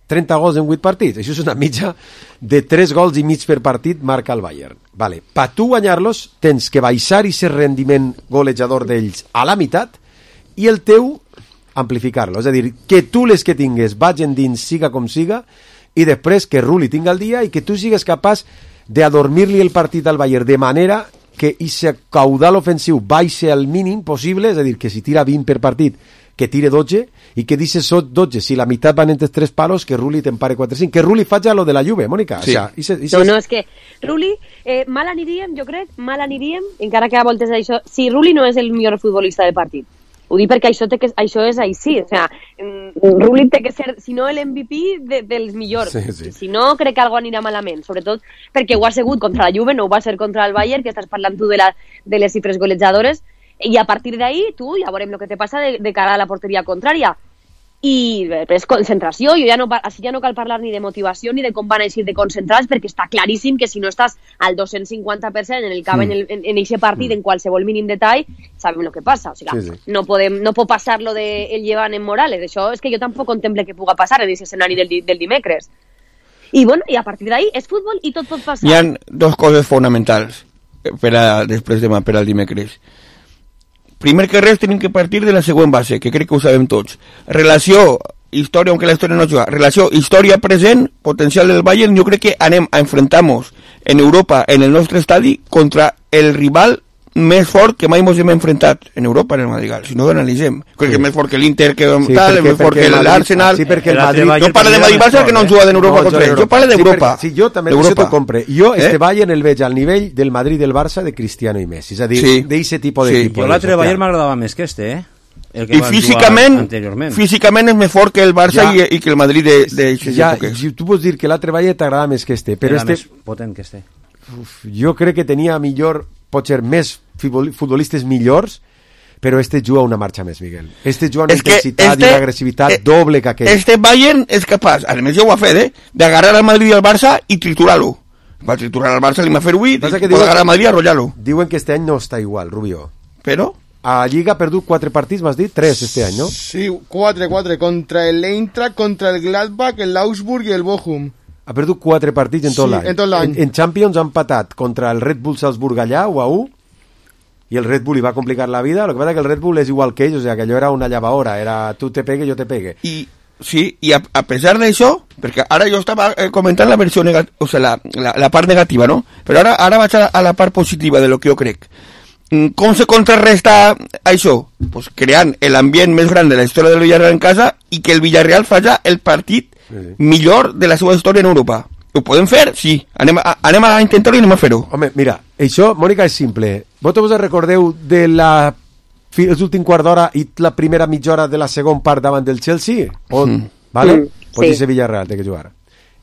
30 gols en 8 partits. Això és una mitja de 3 gols i mig per partit marca el Bayern. Vale. Per tu guanyar-los tens que baixar i ser rendiment golejador d'ells a la meitat i el teu amplificar-lo. És a dir, que tu les que tingues vagin dins siga com siga i després que Rulli tinga el dia i que tu sigues capaç d'adormir-li el partit al Bayern de manera que aquest caudal ofensiu baixe al mínim possible, és a dir, que si tira 20 per partit que tire 12 i que dice 12, si la meitat van entre 3 palos, que Rulli t'empare 4-5, que Rulli faci lo de la Juve, Mònica. Sí. O sea, no, és que Rulli, mal aniríem, jo crec, encara que a voltes això, si Rulli no és el millor futbolista del partit. Ho dic perquè això és així, o sea, Rulli té que ser, si no l'MVP dels millors, si no crec que algo anirà malament, sobretot perquè ho ha sigut contra la Juve, no ho va ser contra el Bayern, que estàs parlant tu de les xifres golejadores, i a partir d'ahí, tu, ja veurem el que te passa de cara a la porteria contrària. I després concentració, així ja no cal parlar ni de motivació ni de com van eixir de concentrats, perquè està claríssim que si no estàs al 250% en el camp en aquest partit, en qualsevol mínim detall, sabem el que passa. O sigui, no pot passar lo del llevant en Morales. Això és que jo tampoc contemple que puga passar en aquest escenari del dimecres. I bueno, i a partir d'ahí és futbol i tot pot passar. Hi ha 2 coses fonamentals després demà per al dimecres. Primer que res tenim que partir de la següent base, que crec que ho sabem tots. Relació, història, aunque la història no juga, relació, història present, potencial del Bayern, jo crec que anem a enfrentar-nos en Europa, en el nostre estadi, contra el rival més fort que mai ens hem enfrentat en Europa, en el Madrigal, si no ho analitzem. Crec que és més fort que l'Inter, que tal, és més fort que l'Arsenal. Sí, perquè el Madrid... Jo parlo de Madrid-Barça que no han jugat en Europa contra ells. Jo parlo d'Europa. Sí, jo també t'ho compre. Jo este Bayern el veig al nivell del Madrid del Barça de Cristiano i Messi. És a dir, d'eixe tipus d'equip. Jo l'altre Bayern m'agradava més que este, I físicament és més fort que el Barça i que el Madrid d'eixes èpoques. Tu pots dir que l'altre Bayern t'agrada més que este, però este... Era més potent que este. Jo crec que tenia millor, potser més futbolistes millors, però este juga una marxa més, Miguel. Este juga una intensitat i una agressivitat doble que aquell. Este Bayern és capaç, a més ja ho ha fet, d'agarrar al Madrid i al Barça i triturar-lo. Va triturar al Barça, li va fer avui, pot agarrar al Madrid i arrollar-lo. Diuen que este any no està igual, Rubio. Però? A Lliga ha perdut 4 partits, m'has dit? 3 este any, no? Sí, 4, contra el Eintracht, contra el Gladbach, el Augsburg i el Bochum. Ha perdut 4 partits en tot l'any. En tot l'any. En Champions ha empatat contra el Red Bull Salzburg allà, 1-1, i el Red Bull li va complicar la vida. Lo que pasa es que el Red Bull és igual que ells, o sea, que allò era una llavadora, era tu te pegue, yo te pegue. I a pesar d'això, perquè ara jo estava comentant la versió negativa, o sea, la part negativa, no? Però ara vaig a la part positiva de lo que jo crec. Com se contrarresta això? Pues creant l'ambient més gran de la història del Villarreal en casa i que el Villarreal faci el partit millor de la seva història en Europa. Ho podem fer? Sí. Anem a intentar-ho i anem a fer-ho. Home, mira, això, Mònica, és simple. Vosaltres us recordeu de l'últim quart d'hora i la primera mitja hora de la segona part davant del Chelsea? Vale? Pues ese Villarreal té que jugar.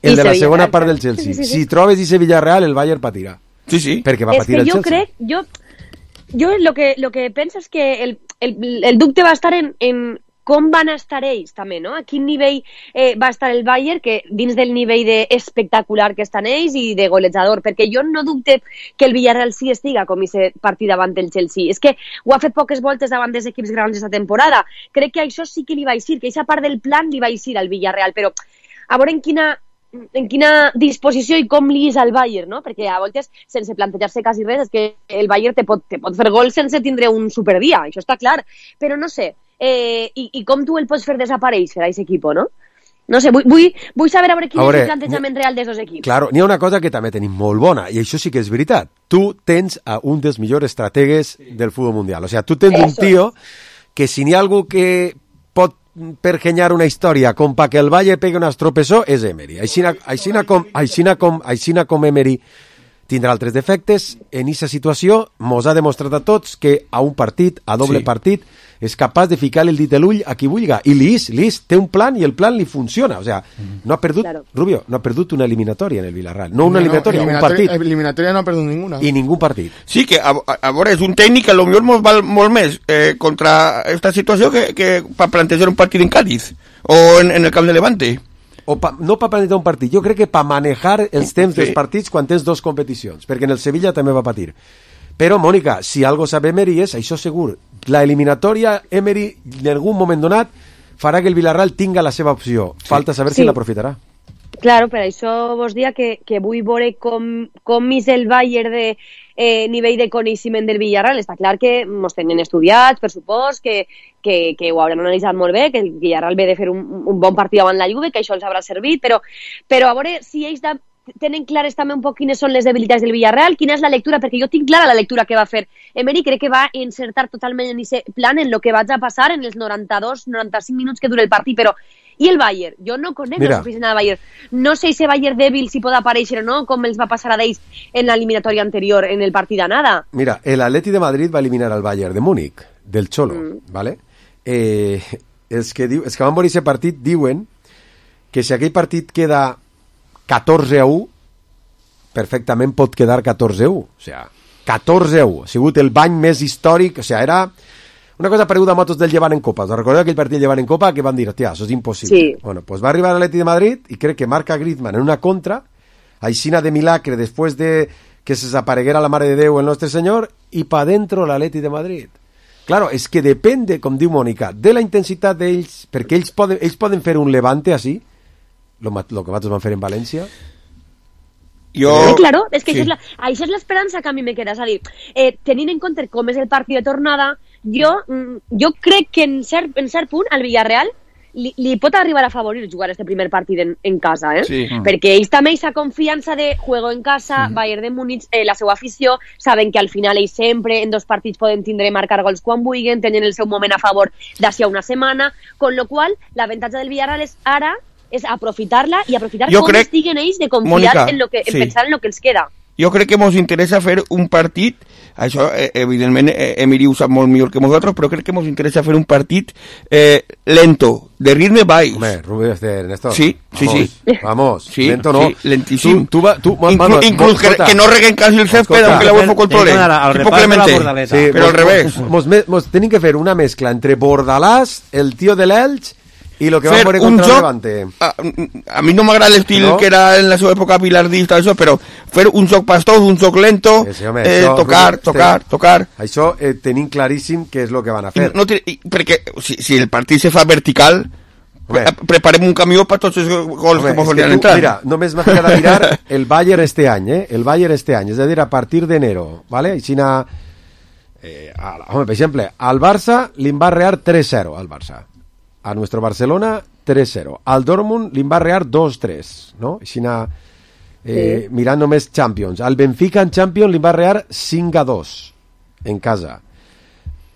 El de la segona part del Chelsea. Si trobes ese Villarreal, el Bayern patirà. Sí. Perquè va patir el Chelsea. És que jo crec... Jo lo que penso és que el dubte va estar en com van estar ells també, no? A quin nivell va estar el Bayern, que dins del nivell espectacular que estan ells i de golejador, perquè jo no dubte que el Villarreal sí estiga com aquest partit davant del Chelsea. És que ho ha fet poques voltes davant dels equips grans aquesta temporada. Crec que això sí que li va eixir, que aquesta part del plan li va eixir al Villarreal, però a veure en quina disposició i com li és al Bayern, no? Perquè a voltes, sense plantejar-se quasi res, és que el Bayern te pot fer gol sense tindre un superdia, això està clar, però no sé, i com tu el pots fer desaparèixer a aquest equip, no? No sé, vull saber a veure quin és el plantejament real dels dos equips. Claro, n'hi ha una cosa que també tenim molt bona, i això sí que és veritat. Tu tens a un dels millors estrategues del futbol mundial. O sea, tu tens un tío que si n'hi ha algú que pot pergenyar una història com pa que el Valle pegue un estropessó és Emery. Aixina com Emery tindrà altres defectes, en aquesta situació mos ha demostrat a tots que a un partit, a doble partit, és capaç de ficar el dit a l'ull a qui vulga. I Lis té un plan i el plan li funciona. O sea, no ha perdut, Rubio, no ha perdut una eliminatòria en el Villarreal. No una eliminatòria, un partit. Eliminatòria no ha perdut ninguna. I ningú partit. Sí, que a veure, és un tècnic que potser mos val molt més contra aquesta situació que per plantejar un partit en Cádiz o en el camp de Levante. No per plantejar un partit, jo crec que per manejar els temps dels partits quan tens dos competicions, perquè en el Sevilla també va patir. Però, Mònica, si algo sabe Emery és, això segur, la eliminatòria Emery en algun moment donat farà que el Villarreal tinga la seva opció. Falta saber si l'aprofitarà. Claro, per això vos dia que vull veure com és el Bayern de nivell de coneixement del Villarreal. Està clar que mos tenen estudiats, per supòs, que ho hauran analitzat molt bé, que el Villarreal ve de fer un bon partit davant la Juve, que això els haurà servit, però a veure si ells tenen clares també un poc quines són les debilitats del Villarreal, quina és la lectura, perquè jo tinc clara la lectura que va fer Emery, crec que va encertar totalment en aquest plan en el que vaig a passar en els 92-95 minuts que dura el partit, però i el Bayern? Jo no conec la suficient del Bayern, no sé si Bayern dèbil si pot aparèixer o no, com els va passar a d'ells en l'eliminatòria anterior, en el partit d'anada. Mira, el Atleti de Madrid va eliminar al Bayern de Múnich, del Cholo, ¿vale? Els que van veure aquest partit diuen que si aquell partit queda 14-1, perfectament pot quedar 14-1. O sigui, 14-1. Ha sigut el bany més històric. O sigui, era una cosa pareguda a motos del Llevant en Copa. Us recordeu aquell partit del Llevant en Copa que van dir, hòstia, això és impossible. Sí. Bueno, pues va arribar a l'Atleti de Madrid i crec que marca Griezmann en una contra, aixina de milagre després de que se desapareguera la Mare de Déu el nostre Senyor, i pa dentro l'Atleti de Madrid. Claro, és que depende, com diu Mònica, de la intensitat d'ells, perquè ells poden fer un Levante així, lo que nosaltres vam fer en València. Claro, és que això és l'esperança que a mi me queda, és a dir, tenint en compte com és el partit de tornada, jo crec que en cert punt al Villarreal li pot arribar a favorir jugar este primer partit en casa, Sí. Perquè ells també aquesta confiança de juego en casa, Bayern de Múnich, la seva afició, saben que al final ells sempre en dos partits poden tindre marcar gols quan vulguin, tenen el seu moment a favor d'ací a una setmana, con lo qual l'avantatge del Villarreal és ara és aprofitar-la i aprofitar com estiguen ells de confiar, Mònica, en pensar en el que els queda. Jo crec que ens interessa fer un partit, això evidentment Emery ho sap molt millor que nosaltres, però crec que ens interessa fer un partit lento, de ritme baix. Home, Rubio, Néstor. Sí. Vamos, sí, lento no. Sí, lentíssim. Inclús que no reguen quasi el césped, aunque la UEFA controle. Tipo Clemente. Sí, però al revés. Mos tenim que fer una mescla entre Bordalàs, el tío de l'Elx, i lo que va veure contra el Levante. A mi no m'agrada l'estil que era en la seva època bilardista, això, però fer un joc pastós, un joc lento, tocar. Això tenim claríssim què és el que van a fer. Perquè si el partit se fa vertical, preparem un camió per tots els gols que podrien entrar. Mira, només m'ha quedat a mirar el Bayern este any, el Bayern este any, és a dir, a partir d'enero, ¿vale? Aixina, per exemple, al Barça li va rear 3-0 al Barça. A nuestro Barcelona 3-0. Al Dortmund li va rear 2-3, no? Aixina, mirant només Champions. Al Benfica en Champions li va rear 5-2 en casa.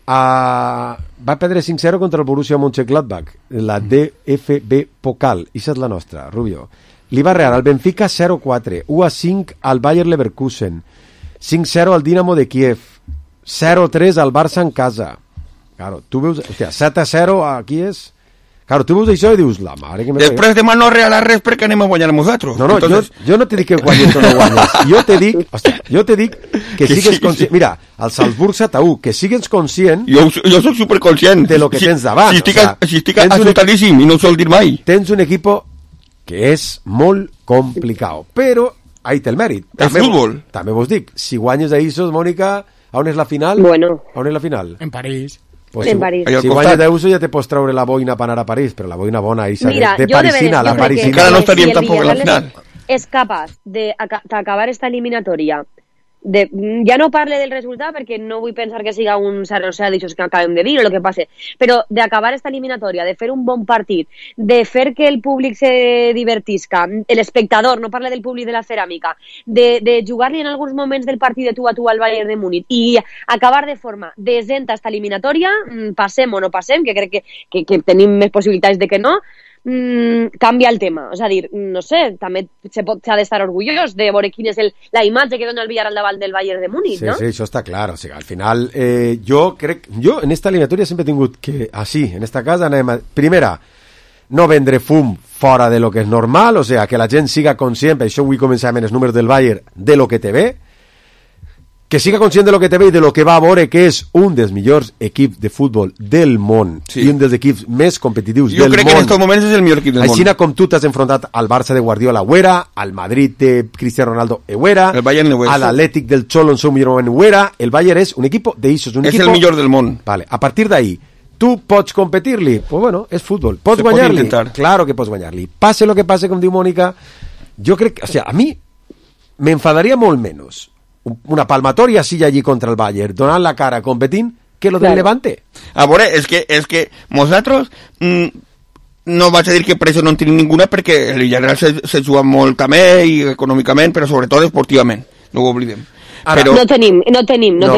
Va perdre 5-0 contra el Borussia Mönchengladbach, la DFB Pokal. Ixa és la nostra, Rubio. Li va rear al Benfica 0-4, 1-5 al Bayer Leverkusen, 5-0 al Dinamo de Kiev, 0-3 al Barça en casa. Claro, tu veus, hòstia, 7-0 aquí és... Claro, tu veus això i dius, la mare que me... Després demà no regalar res perquè anem a guanyar nosaltres. No, entonces... jo no te dic que guanyes o no guanyes. Jo te dic que sigues conscient... Mira, al Salzburg 7-1, que sigues conscient... Jo soc superconscient. De lo que tens davant. Si estic assustadíssim i no ho sol dir mai. Tens un equipo que és molt complicat, però ahí té el mèrit. El futbol. També vos dic, si guanyes a Isos, Mònica, on és la final? Bueno. On és la final? En París. Pues en París. Si guanyes d'Euso ja te pots treure la boina per anar a París, però la boina bona de parisina, la parisina. Encara no estaríem tampoc en la final. És capaç d'acabar esta eliminatòria ja no parle del resultat perquè no vull pensar que siga un 0-0 d'això que acabem de dir o el que passe, però d'acabar esta eliminatòria, de fer un bon partit, de fer que el públic se divertisca, l'espectador, no parle del públic de la ceràmica, de jugar-li en alguns moments del partit de tu a tu al Bayern de Múnich i acabar de forma decent esta eliminatòria, passem o no passem, que crec que tenim més possibilitats de que no, canvia el tema, és a dir, no sé, també s'ha d'estar orgullós de veure quina és la imatge que dona el Villarreal davant del Bayern de Múnich, ¿no? Sí, això està clar, o sigui, al final jo en esta eliminatòria sempre he tingut que, així, en esta casa anem a, primera, no vendre fum fora de lo que és normal, o sigui, que la gent siga conscient, per això vull començar amb els números del Bayern, de lo que te ve, que siga conscient de lo que te ve i de lo que va a veure que és un dels millors equips de futbol del món i un dels equips més competitius del món. Jo crec que en estos moments és el millor equip del món. Així com tu t'has enfrontat al Barça de Guardiola ho era, al Madrid de Cristiano Ronaldo ho era, a l'Atlètic del Cholo en seu millor moment ho era, el Bayern és un equip d'eixos, un equip... És el millor del món. Vale, a partir d'ahí, tu pots competir-li? Pues bueno, és futbol. Pots guanyar-li? Claro que pots guanyar-li. Passe lo que passe, com diu Mònica, jo crec que, o sea, a mi m'enfadaria molt menys una palmatoria así allí contra el Bayern, donant la cara competint, que lo del Levante. A veure, és que nosaltres no vaig a dir que pressió no en tenim ninguna perquè el Villarreal se juga molt també i econòmicament, però sobretot esportivament, no ho oblidem. Ara, no tenim,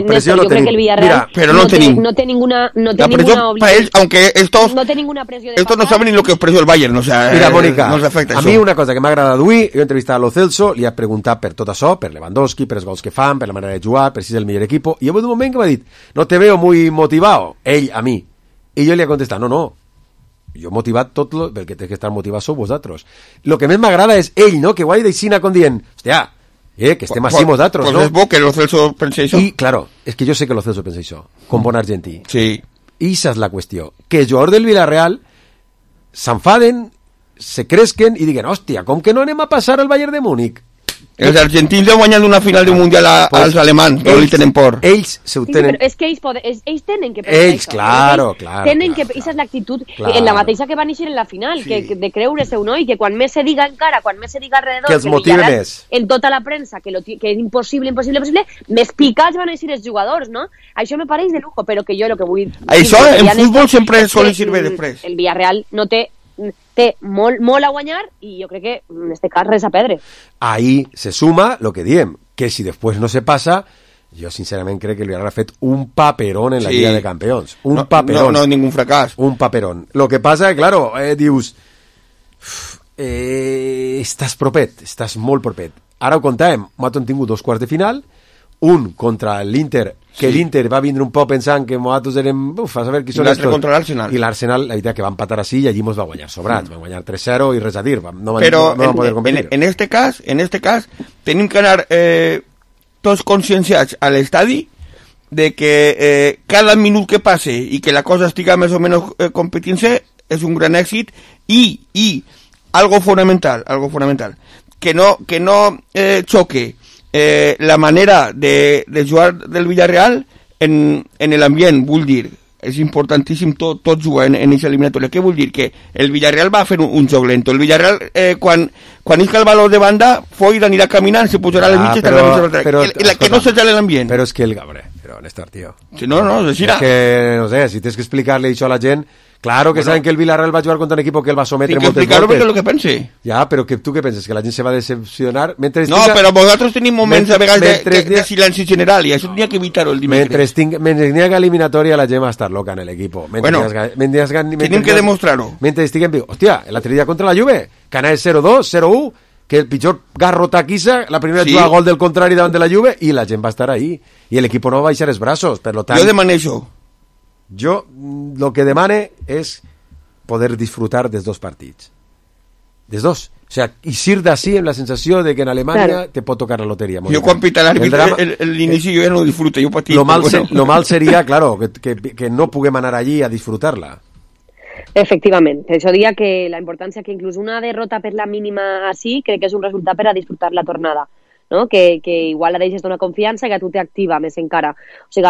pressió no yo creo que el Villarreal no té ninguna obligación, aunque estos no té ninguna pressió de estos no saben ni lo que es pressió el Bayern, o sea, mira, Mónica, no afecta a mi una cosa que m'ha agradat avui, jo he entrevistat a Lo Celso, li he preguntat per tot això, per Lewandowski, per els gols que fan, per la manera de jugar, per si és el millor equip, i hi ha hagut un moment que m'ha dit, no te veo muy motivado, ell a mi, i jo li he contestat, no, jo motivat tot el que té que estar motivat sou vosaltres. Lo que més m'agrada és ell, no?, que ho hagi d'aixina com dient, hòstia, que estem així nosaltres, no? Pues és bo que Lo Celso pense això. I, claro, és que jo sé que Lo Celso pensa això, com bon argentí. Sí. I esa és la qüestió, que els jugadors del Villarreal s'enfaden, se cresquen i diguen, hòstia, com que no anem a passar al Bayern de Múnich? Els argentins han guanyat una final d'un mundial als alemans, no li tenen por. Ells se ho tenen... Però és que ells tenen que pensar ells, claro. Tenen que... Esa és l'actitud, en la mateixa que van néixer en la final, de creure-se-ho, no? I que quan més se diga encara, quan més se diga alrededor... Que els motive més. En tota la premsa, que és impossible, més picats van néixer els jugadors, no? Això me pareix de lujo, però que jo el que vull... Això en futbol sempre solen servir després. El Villarreal no té molt a guanyar i jo crec que en este cas res a perdre. Ahí se suma lo que diem, que si después no se pasa, yo sinceramente creo que el Villarreal ha fet un paperón en la Liga de Campeones. Paperón. No, ningún fracàs. Un paperón. Lo que pasa, claro, dius, estàs propet, estàs molt propet. Ara ho contàvem, nosaltres hem tingut 2 quarts de final, un contra l'Inter, que l'Inter va vindre un poc pensant que nosaltres érem, a saber qui són estos. Contra l'Arsenal. I l'Arsenal, la veritat, que va empatar així i allí mos va guanyar sobrats, van guanyar 3-0 i res a dir, no van poder competir. En este cas, tenim que anar tots conscienciats a l'estadi de que cada minut que passe i que la cosa estiga més o menys competint-se és un gran èxit i algo fonamental, que no choque la manera de jugar del Villarreal en l'ambient, vull dir, és importantíssim tot jugar en aquesta eliminatòria. Què vull dir? Que el Villarreal va fer un joc lento. El Villarreal, quan isca el valor de banda, Foy anirà caminant, se posarà a les mitges, que no s'aixale l'ambient. Però és que però Néstor, tio. Sí, no, és així. És que, no sé, si tens que explicar-li això a la gent, claro que saben que el Villarreal va jugar contra un equipo que el va sometre moltes voltes. Explicar-ho perquè és el que pense. Ja, però tu què penses? Que la gent se va decepcionar? No, però vosaltres tenim moments a vegades de silenci general i això tenia que evitar-ho el dimecres. Mentre n'hi ha eliminatòria la gent va estar loca en l'equip. Bueno, tenim que demostrar-ho. Mentre estiguem viu. Hòstia, l'altre dia contra la Juve, que anava 0-2, 0-1, que el pitjor garrota quissa, la primera jugada gol del contrari davant de la Juve i la gent va estar ahí. I l'equip no va baixar els braços, per lo tant... Jo demano això. Jo lo que demane és poder disfrutar dels 2 partits. Dels 2. O sea, eixir d'ací amb la sensació de que en Alemanya te pot tocar la loteria. Jo quan pita l'inici jo ja no ho disfruto, jo patit. Lo mal seria, claro, que no puguem anar allí a disfrutar-la. Efectivament, això diria que la importància que inclús una derrota per la mínima així crec que és un resultat per a disfrutar la tornada, no? Que igual la deixes d'una confiança que a tu t'activa més encara. O sigui,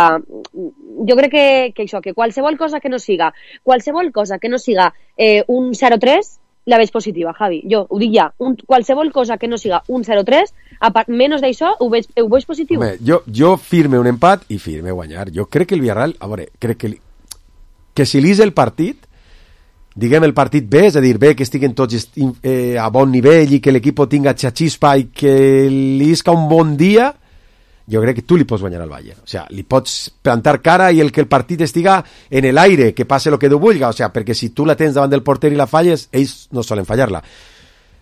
jo crec que això, que qualsevol cosa que no siga un 0-3 la veig positiva, Javi. Jo ho dic ja, qualsevol cosa que no siga un 0-3, menys d'això, ho veig positiu. Home, jo firme un empat i firme guanyar. Jo crec que el Villarreal, a veure, crec que si lís el partit, diguem el partit bé, és a dir, bé que estiguen tots a bon nivell i que l'equip tinga xaxispa i que li isca un bon dia, jo crec que tu li pots guanyar al Bayern. O sea, li pots plantar cara i que el partit estiga en el aire, que passe el que tu vulga. O sea, perquè si tu la tens davant del porter i la falles, ells no solen fallar-la.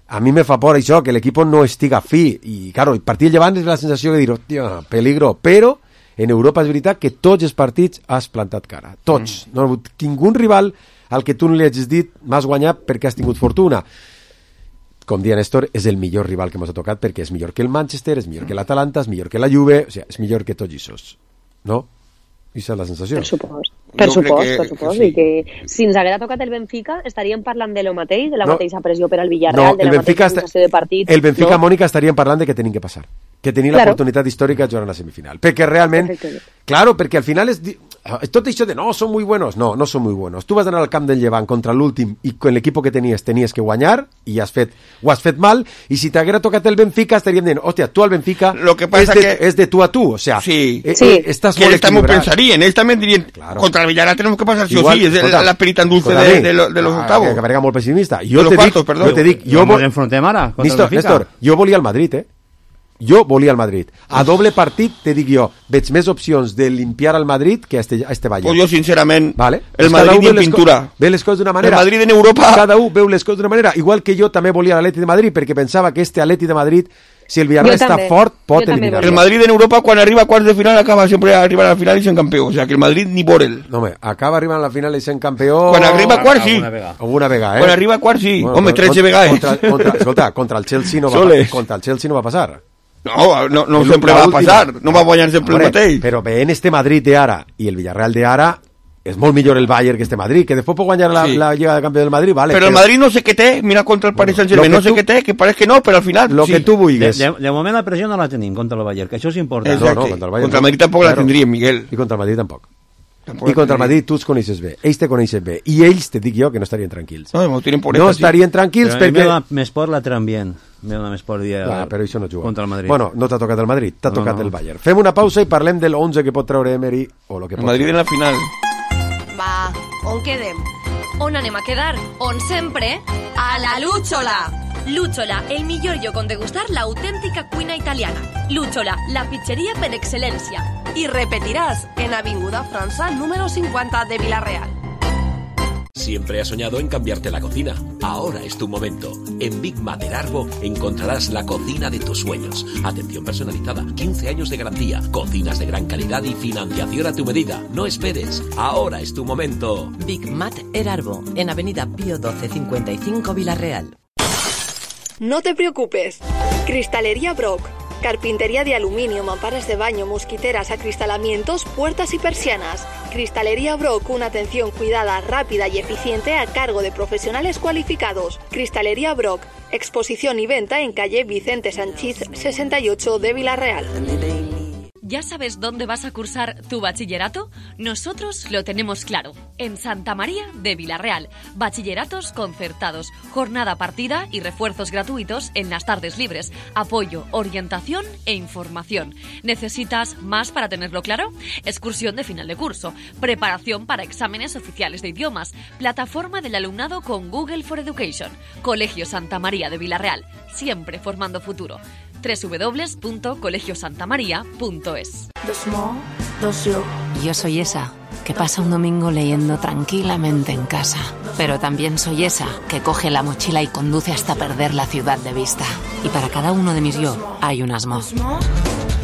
A mi me fa por això, que l'equip no estiga fi. I, claro, el partit llevant és la sensació de dir, hòstia, peligro. Però en Europa és veritat que tots els partits has plantat cara. Tots. No ha hagut ningú rival al que tu no li hagis dit m'has guanyat perquè has tingut fortuna. Com dia Néstor, és el millor rival que ens ha tocat perquè és millor que el Manchester, és millor que l'Atalanta, és millor que la Juve, o sigui, és millor que tots ells, no? Aquesta és la sensació. Per supost. I que si ens haguera tocat el Benfica estaríem parlant de lo mateix, de la mateixa pressió per al Villarreal, de la mateixa sensació de partit. El Benfica, Mònica, estaríem parlant de que tenim que passar, que tenir l'oportunitat històrica de jugar a la semifinal. Perquè realment, claro, perquè al final és tot això de no, són muy buenos. No són muy buenos. Tu vas anar al camp del Llevant contra l'últim i con l'equip que tenies que guanyar i ho has fet mal, i si t'haguera tocat el Benfica estaríem dient, hòstia, tu al Benfica és de tu a tu, o sea, estás molt equilibrado. Pensarían, ellos también dirían, claro, contra el Villarreal tenemos que pasar sí o sí, es la perita en dulce de los octavos. Que verga molt pessimista. Jo te dic, Néstor, jo volia el Madrid, Jo volia el Madrid. A doble partit, te dic jo, veig més opcions de limpiar al Madrid que a este Bayern. Pues yo, sincerament, vale. El Madrid en pintura. Ve les coses d'una manera. El Madrid en Europa. Cada un veu les coses d'una manera. Igual que jo també volia l'Atleti de Madrid, perquè pensava que este Atleti de Madrid, si el Villarreal està fort, pot eliminar. El Madrid en Europa, quan arriba a quarts de final, acaba sempre arribant a la final i sent campió. O sea, que el Madrid ni por él. No, home, acaba arribant a la final i sent campió... Quan arriba a quarts, sí. Alguna vegada, Quan arriba a quarts, sí. Bueno, home, 13 vegades. Escolta, contra el Chelsea no va passar. No sempre va passar, no va guanyar sempre el mateix. Però veient este Madrid d'ara i el Villarreal d'ara, és molt millor el Bayern que este Madrid, que després pot guanyar la Lliga de Campions del Madrid, vale. Però el Madrid no sé què té, mira contra el Paris Saint-Germain, no sé què té, que pareix que no, però al final lo que tu vulguis. De moment la pressió no la tenim contra el Bayern, que això és important. Contra el Madrid tampoc la tindríem, Miguel. I contra el Madrid tampoc. I contra el Madrid tu els coneixes bé, ells te coneixen bé, i ells te dic jo que no estarien tranquils. No estarien tranquils perquè... Però a mi més por la Trambien. Però això no juga. Contra el Madrid. Bueno, no t'ha tocat el Madrid, t'ha tocat el Bayern. Fem una pausa i parlem del 11 que pot treure Emery o lo que pot. El Madrid en la final. Va, on quedem? On anem a quedar? On sempre? A la Lúchola! Lúchola, el millor lloc on degustar l'autèntica cuina italiana. Lúchola, la pizzería per excelencia. Y repetirás en Avinguda França número 50 de Villarreal. Siempre has soñado en cambiarte la cocina. Ahora es tu momento. En Big Mater Arbo encontrarás la cocina de tus sueños. Atención personalizada, 15 años de garantía, cocinas de gran calidad y financiación a tu medida. No esperes. Ahora es tu momento. Big Mater Arbo, en Avenida Pío 12 55 Villarreal. No te preocupes. Cristalería Brock. Carpintería de aluminio, mamparas de baño, mosquiteras, acristalamientos, puertas y persianas. Cristalería Brock, una atención cuidada, rápida y eficiente a cargo de profesionales cualificados. Cristalería Brock, exposición y venta en calle Vicente Sanchís 68 de Villarreal. ¿Ya sabes dónde vas a cursar tu bachillerato? Nosotros lo tenemos claro. En Santa María de Villarreal. Bachilleratos concertados, jornada partida y refuerzos gratuitos en las tardes libres. Apoyo, orientación e información. ¿Necesitas más para tenerlo claro? Excursión de final de curso. Preparación para exámenes oficiales de idiomas. Plataforma del alumnado con Google for Education. Colegio Santa María de Villarreal. Siempre formando futuro. www.colegiosantamaria.es. Yo soy esa que pasa un domingo leyendo tranquilamente en casa, pero también soy esa que coge la mochila y conduce hasta perder la ciudad de vista. Y para cada uno de mis yo hay un Asmo.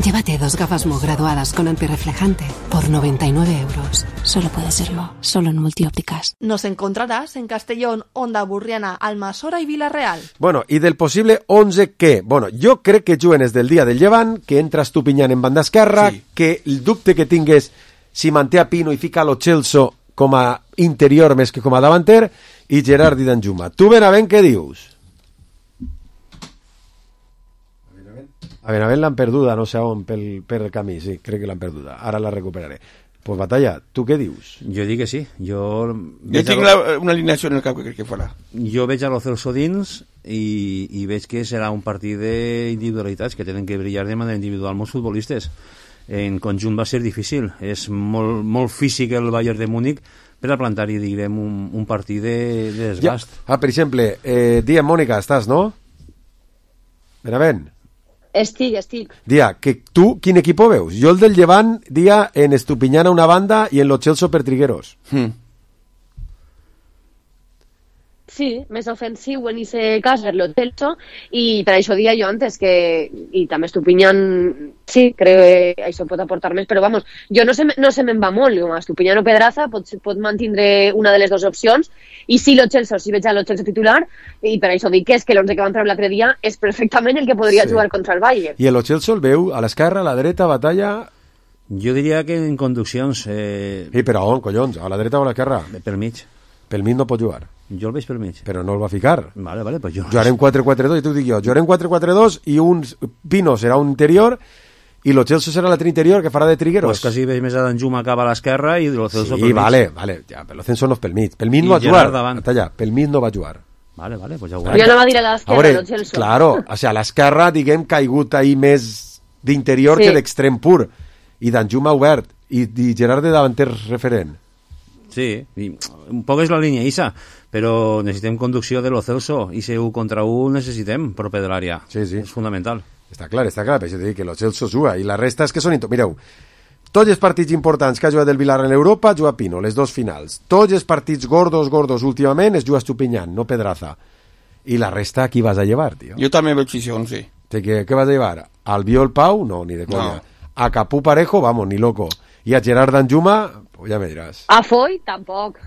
Llévate 2 gafas Mo graduadas con antirreflejante por 99 euros. Solo puede serlo, solo en Multiópticas. Nos encontrarás en Castellón, Onda Burriana, Almassora y Villarreal. Bueno, i del possible 11 què? Bueno, jo crec que juguen des del dia del Llevant, que entras tu pinyant en banda esquerra, que el dubte que tingues si manté a Pino i fica lo Celso com a interior més que com a davanter, i Gerard i Danjuma. Tu, Benavent, què dius? A Benavent l'han perduda, no sé on, per el camí, sí, crec que l'han perduda. Ara la recuperaré. Pues Batalla, tu què dius? Jo dic que sí. Jo tinc una alineació en el cap que crec que farà. Jo veig a lo Celso dins i veig que serà un partit d'individualitats que tenen que brillar de manera individual molts futbolistes. En conjunt va ser difícil. És molt físic el Bayern de Múnich per a plantar-hi, diguem, un partit de desgast. Ja. Per exemple, Dia, Mònica, estàs, no? Benavent. Estic. Dia, que tu quin equip veus? Jo el del Llevant, Dia, en Estupiñán a una banda i en Lo Celso per Trigueros. Sí, més ofensiu en ese cas per Lo Celso, i per això dia jo antes que, i també Estupiñán, sí, crec que això pot aportar més, però vamos, jo no se me'n va molt, com a Estupiñán o Pedraza pot mantindre una de les dues opcions, i sí Lo Celso, sí veig a Lo Celso titular, i per això dic que és que l'11 que van treure l'altre dia és perfectament el que podria jugar contra el Bayern. I el Lo Celso el veu a l'esquerra, a la dreta, Batalla... Jo diria que en conduccions... però on, collons? A la dreta o a l'esquerra? Per mig. Pel mig no pot jugar. Jo el veig per mig. Però no el va ficar. Vale, pues jo... Jugarem 4-4-2, i t'ho dic jo. Jugarem 4-4-2 i un Pino serà un interior i Lo Celso serà l'altre interior que farà de Trigueros. Pues quasi veig més a Danjuma cap a l'esquerra i Lo Celso pel mig. Vale, ja, però Lo Celso no és pel mig. Pel mig no va jugar. Pel mig no va jugar. Vale, pues ja ho veurem. Jo no va dir a l'esquerra, Lo Celso. Claro, o sea, a l'esquerra, diguem, caigut ahí més d'interior que d'extrem pur. I Danjuma obert. I Gerard de davanter referent. Sí, i un poc és la línia Isa, però necessitem conducció de Lo Celso, i si 1 contra 1 necessitem proper de l'àrea. Sí. És fundamental. Està clar, per això t'he dit que Lo Celso juga, i la resta és que són... Mireu, tots els partits importants que ha jugat el Villarreal en Europa juga Pino, les dos finals. Tots els partits gordos últimament es juga Estupiñán, no Pedraza. I la resta, qui vas a llevar, tio? Jo també veig això, sí. ¿Qué vas a llevar? ¿Albiol Pau? No, ni de coña. No. A Capú Parejo, vamos, ni loco. Y a Gerard Danjuma, pues ya me dirás. A Foy tampoc.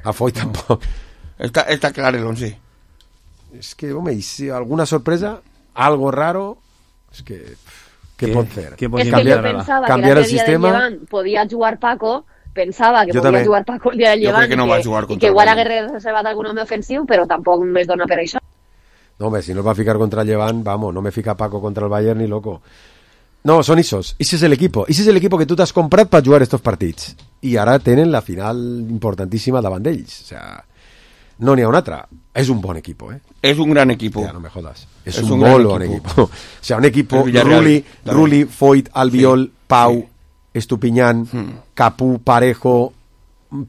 Está claro el 11. Es que, hombre, si alguna sorpresa, algo raro, es que... ¿Qué pot fer? Es que yo pensaba cambiar que el sistema. Llevant podía jugar Paco, pensava que podia jugar Paco el dia del Llevant, que no va jugar i que igual hagués reservat algun home ofensiu, però tampoc més dona per això. No, hombre, si no va a ficar contra el Llevant, vamos, no me fica Paco contra el Bayern ni loco. No, son esos. Ese es el equipo. Ese es el equipo que tú te has comprado para jugar estos partits. I ara tenen la final importantíssima davant d'ells. O sea, no n'hi ha un altre. És un bon equip, eh? És un gran equip. Ja, no me jodas. És un molt bon equip. O sea, un equip Rulli, Foyt, Albiol, Pau, Estupiñán, Capú, Parejo,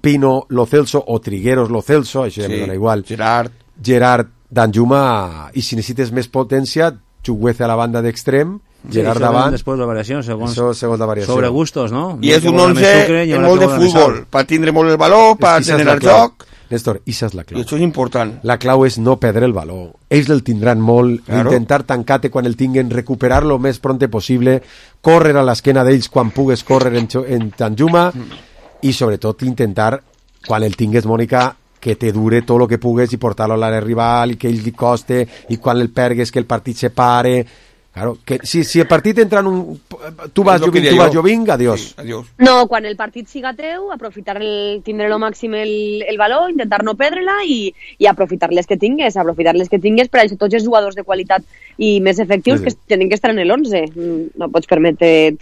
Pino, Lo Celso, o Trigueros, Lo Celso, això ja me dona igual. Gerard, Danjuma, i si necessites més potència, Chuguece a la banda d'extrem, Gerard davant. Després la variació, segons la variació. Sobre gustos, no? I és un 11 en molt de futbol, per tindre molt el valor, per tenir el joc. Néstor, això és la clau. I això és important. La clau és no perdre el valor. Ells el tindran molt, intentar tancar-te quan el tinguen, recuperar-lo més pronte possible, córrer a l'esquena d'ells quan pugues córrer en Danjuma, i sobretot intentar, quan el tingues, Mònica, que te dure tot el que pugues i portar-lo a l'àrea rival, i que ell li coste, i quan el pergues que el partit se pare. Claro, que si el partit entra en un... Tu vas, jo vinc, adiós. Sí, adiós. No, quan el partit siga teu, aprofitar tindre lo màxim el valor, intentar no perdre-la i aprofitar les que tingues, per això tots els jugadors de qualitat i més efectius que tenen que estar en l'11. No pots permetre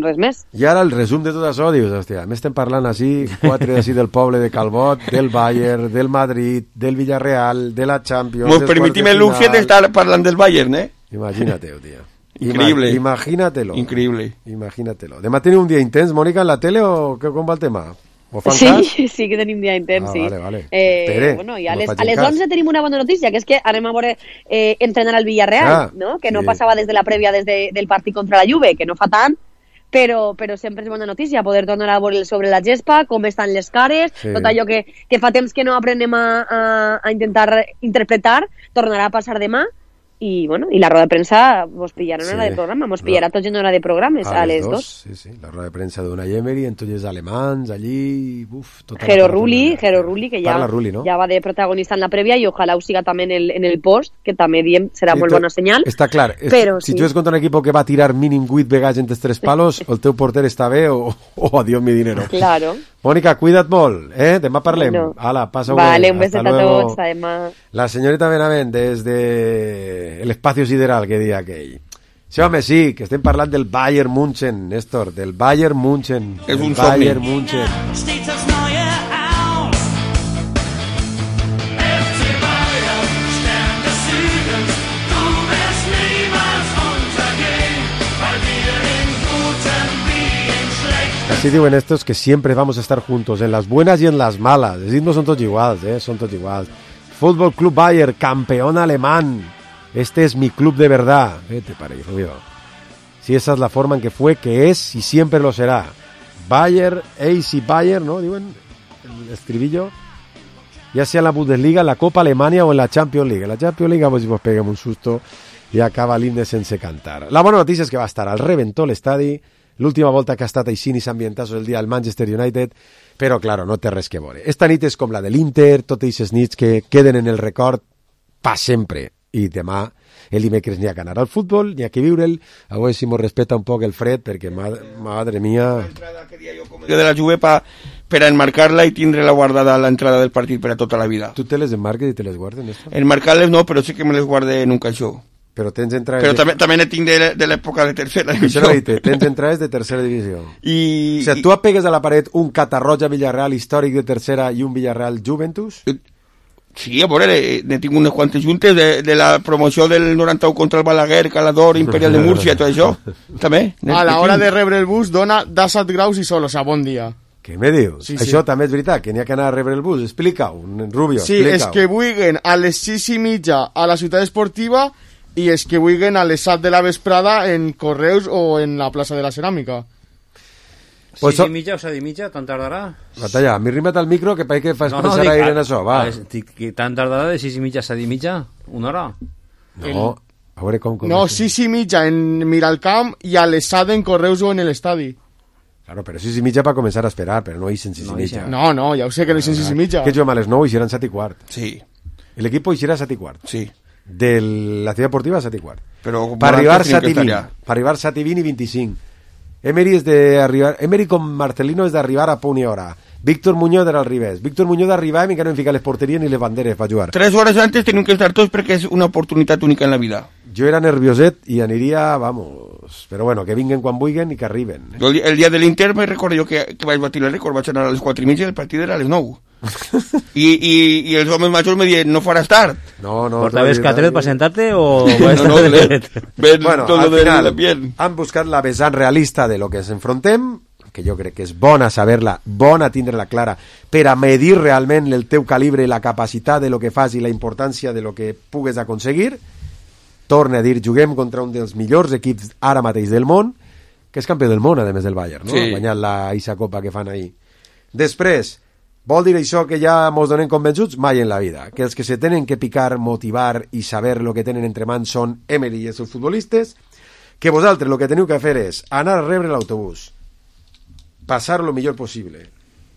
res més. I ara el resum de tot això, dius, hòstia, m'estem parlant així, 4 d'ací del poble de Calbot, del Bayern, del Madrid, del Villarreal, de la Champions... Mos permitim el luxe d'estar parlant del Bayern, eh? Imagínate, tío. Increíble. Imagínatelo. Increíble. Imagínatelo. Demà teniu un dia intens, Mònica, en la tele o com va el tema? Sí que tenim dia intens, sí. Vale. Bueno, i a les 11 tenim una bona notícia, que és que anem a veure entrenar al Villarreal, no? Que no passava des de la prèvia del partit contra la Juve, que no fa tant, però sempre és bona notícia poder tornar a veure sobre la gespa, com estan les cares, tot allò que fa temps que no aprenem a intentar interpretar, tornarà a passar demà. I la roda de premsa vos pillarà en hora de programa, vos pillarà tots en hora de programes a les 2. Sí, la roda de premsa d'una Emery, en tots els alemans allí, Jero Rulli, que ja va de protagonista en la prèvia i ojalà ho siga també en el post, que també diem serà molt bona senyal. Està clar, si jugues contra un equip que va tirar mínim 8 vegades entre 3 palos, el teu porter està bé o adiós mi dinero. Claro. Mònica, cuida't molt, demà parlem. Ala, passa un beset a tots, demà. La señorita Benavent, desde el espacio sideral, que dia aquell. Sí, home, sí, que estem parlant del Bayern München, Néstor, del Bayern München. És un Bayern somni. München. Steht das neue auf. FC Bayern, Stern des Südens, du wirst niemals untergehen, weil wir in guten wie in schlechten. Así diuen estos que siempre vamos a estar juntos, en las buenas y en las malas. Es decir, no son todos iguales, son todos iguales. Fútbol Club Bayern, campeón alemán. Este es mi club de verdad. Vete para ahí, Rubio. Si esa es la forma en que fue, que es y siempre lo será. Bayern, AC Bayern, ¿no? Diuen el estribillo. Ya sea en la Bundesliga, en la Copa Alemania o en la Champions League. En la Champions League pues nos pegamos un susto i acaba l'himne sense cantar. La bona notícia és que va estar al reventó l'estadi, l'última volta que ha estat així ni s'ambientassa el dia al Manchester United, però, claro, no té res que veure. Esta nit és com la de l'Inter, totes aquestes nits que queden en el record pa sempre. I demà, el dimecres, n'hi ha que anar al futbol, n'hi ha que viure'l, a veure si mos respeta un poc el fred, perquè, madre mia... Jo de la Juve per enmarcar-la i tindre-la guardada a l'entrada del partit per a tota la vida. Tu te les enmarques i te les guardes, Néstor? Enmarcar-les no, però sí que me les guarde en un caixó. Però tens entrades... Però també ne tinc de l'època de tercera divisió. divisió. Això tens entrades de tercera divisió. I... O sigui, tu apegues a la paret un Catarroja Villarreal històric de tercera i un Villarreal Juventus? Sí, a veure, ne tinc unes quantes juntes de la promoció del 91 contra el Balaguer, Calador, Imperial de Múrcia, tot això. També. A l'hora de rebre el bus dona 17 graus i sol, o sigui, bon dia. Què me dius? Sí, això sí. també és veritat, que n'hi ha que anar a rebre el bus. Explica-ho, Rubio, sí, explica-ho. és que vulguen a les 6:30 a la ciutat esportiva i és que vulguen a les 7 de la vesprada en Correus o en la plaça de la Ceràmica. Pues 6:30 o 7:30, tant tardarà? Batalla, m'hi rima't al micro que que fas pensar gaire en això, va. Tant tardarà de 6:30 a 7:30? Una hora? No, a veure com... No, 6:30 en Miralcamp i a les 7 en Correus o en l'estadi. Claro, però 6:30 per començar a esperar, però no ixen 6:30. No, ja ho sé que no ixen 6:30. Que juguem a les 9 i ixeran 7:15. Sí. El equipo ixerà a 7:15. Sí. De la ciutat deportiva a 7:15. Però per arribar 7:20. Per arribar 7:20 i 25. Emery com Marcelino és d'arribar a punt i hora. Víctor Muñoz era al revés. Víctor Muñoz arribava i encara no hem ficat les porteries ni les banderes per jugar. 3 hores antes tenim que estar tots perquè és una oportunitat única en la vida. Jo era nervioset i aniria, vamos... Però bueno, que vinguen quan vulguin i que arriben. Jo el dia de l'Inter me recordo jo que vaig batir el rècord, vaig anar a les 4:30 i el partit era a les 9. I els homes majors me diuen, no faràs tard. No. ¿Portaves catret para sentarte o...? Bueno, al final han buscat la vessant realista de lo que ens enfrontem, que jo crec que és bona saber-la, bona tindre-la clara, per a medir realment el teu calibre, la capacitat de lo que fas i la importància de lo que pugues aconseguir. Torne a dir, juguem contra un dels millors equips ara mateix del món, que és campió del món, a més del Bayern, no? Sí. Ha guanyat la Isa Copa que fan ahir. Després, vol dir això que ja mos donem convençuts? Mai en la vida. Que els que se tenen que picar, motivar i saber lo que tenen entre mans són Emery i els seus futbolistes, que vosaltres el que teniu que fer és anar a rebre l'autobús, passar lo millor possible,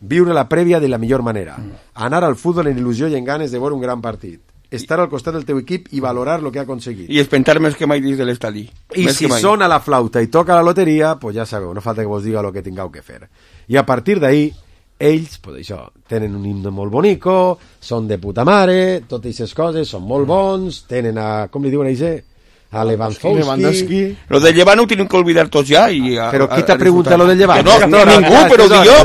viure la prèvia de la millor manera, anar al futbol en il·lusió i en ganes de veure un gran partit, estar al costat del teu equip i valorar lo que ha aconseguit. I espentar més que mai dins de l'estadi. I si sona la flauta i toca la loteria, pues ja sabeu, no falta que vos diga lo que tingueu que fer. I a partir d'ahí, ells, pues això, tenen un himne molt bonico, són de puta mare, totes aquestes coses, són molt bons, tenen a, com li diuen a això? A Lewandowski. Lo del Llevant ho tenim que olvidar tots ja. Però qui t'ha preguntat lo del Llevant? No, ningú, però ho dic jo.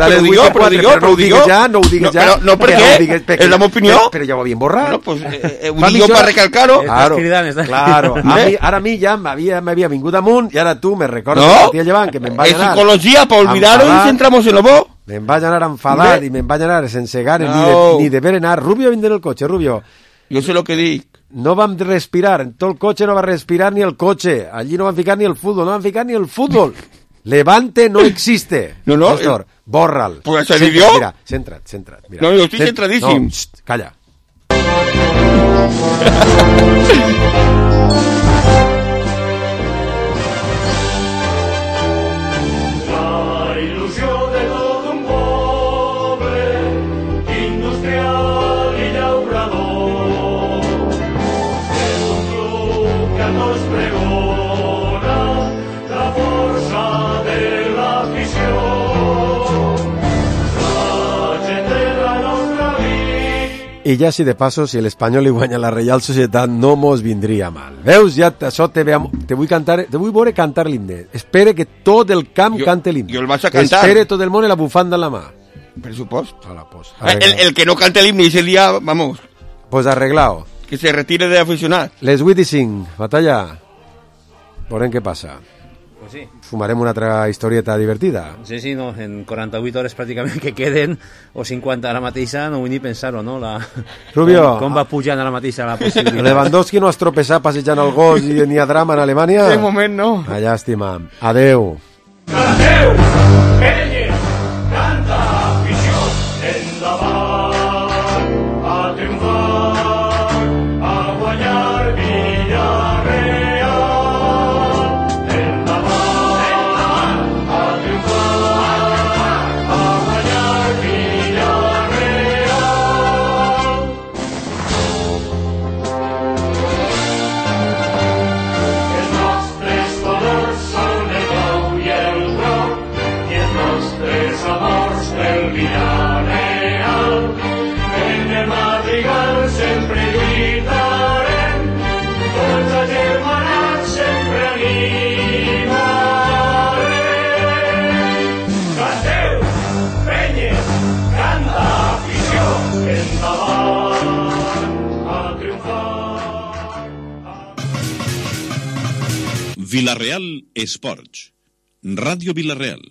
No ho digues ja. No, per què? És la meva opinió. Però ja ho havien borrat. Bueno, pues ho dic jo per recalcar-ho. Claro. Ara a mi ja m'havia vingut amunt i ara tu me recordes el partit del Llevant, que me'n vaig anar. És psicologia, per oblidar-ho i centramos en lo bo. Me'n vaig anar enfadat i me'n vaig anar sense ganes ni de ver anar. Rubio vindre en el cotxe, Rubio. Jo sé lo que dic. No vam respirar, en tot el cotxe no va respirar ni el cotxe, allí no van ficar ni el futbol, no van ficar ni el futbol. Levante no existe. No, Néstor, borra'l. Pues això dic jo. Mira, centra't. Mira. No, jo estic centradíssim. No, calla. La il·lusió de tot un poble, industrial i llaurador. És un club que nos pregona la força de l'afició. La gent de la nostra vida. I ja, si de passo, si l'Espanyol li guanya la Reial Societat, no mos vindria mal. Veus? Ja això te vull veure cantar l'himne. Espere que tot el camp cante l'himne. Jo el vaig a cantar. Espere tot el món i la bufanda en la mà. Per supost. Pues, el que no cante l'himne ese día, vamos. Pues arreglado. Que se retire de aficionat. Les 8:05, batalla. Veurem què passa. Pues sí. Fumarem una altra historieta divertida. Sí, no, en 48 hores pràcticament que queden, o 50 ara mateixa, no vull ni pensar-ho, no? Rubio, com va pujant ara mateixa la possibilitat. Lewandowski no has tropezat passejant el gos i ni a drama en Alemanya? De moment no. Ah, llàstima. Adeu. Adeu, Pérez, canta afició, endavant, a triomfar, a guanyar Villarreal. Vilareal Esports. Ràdio Vilareal.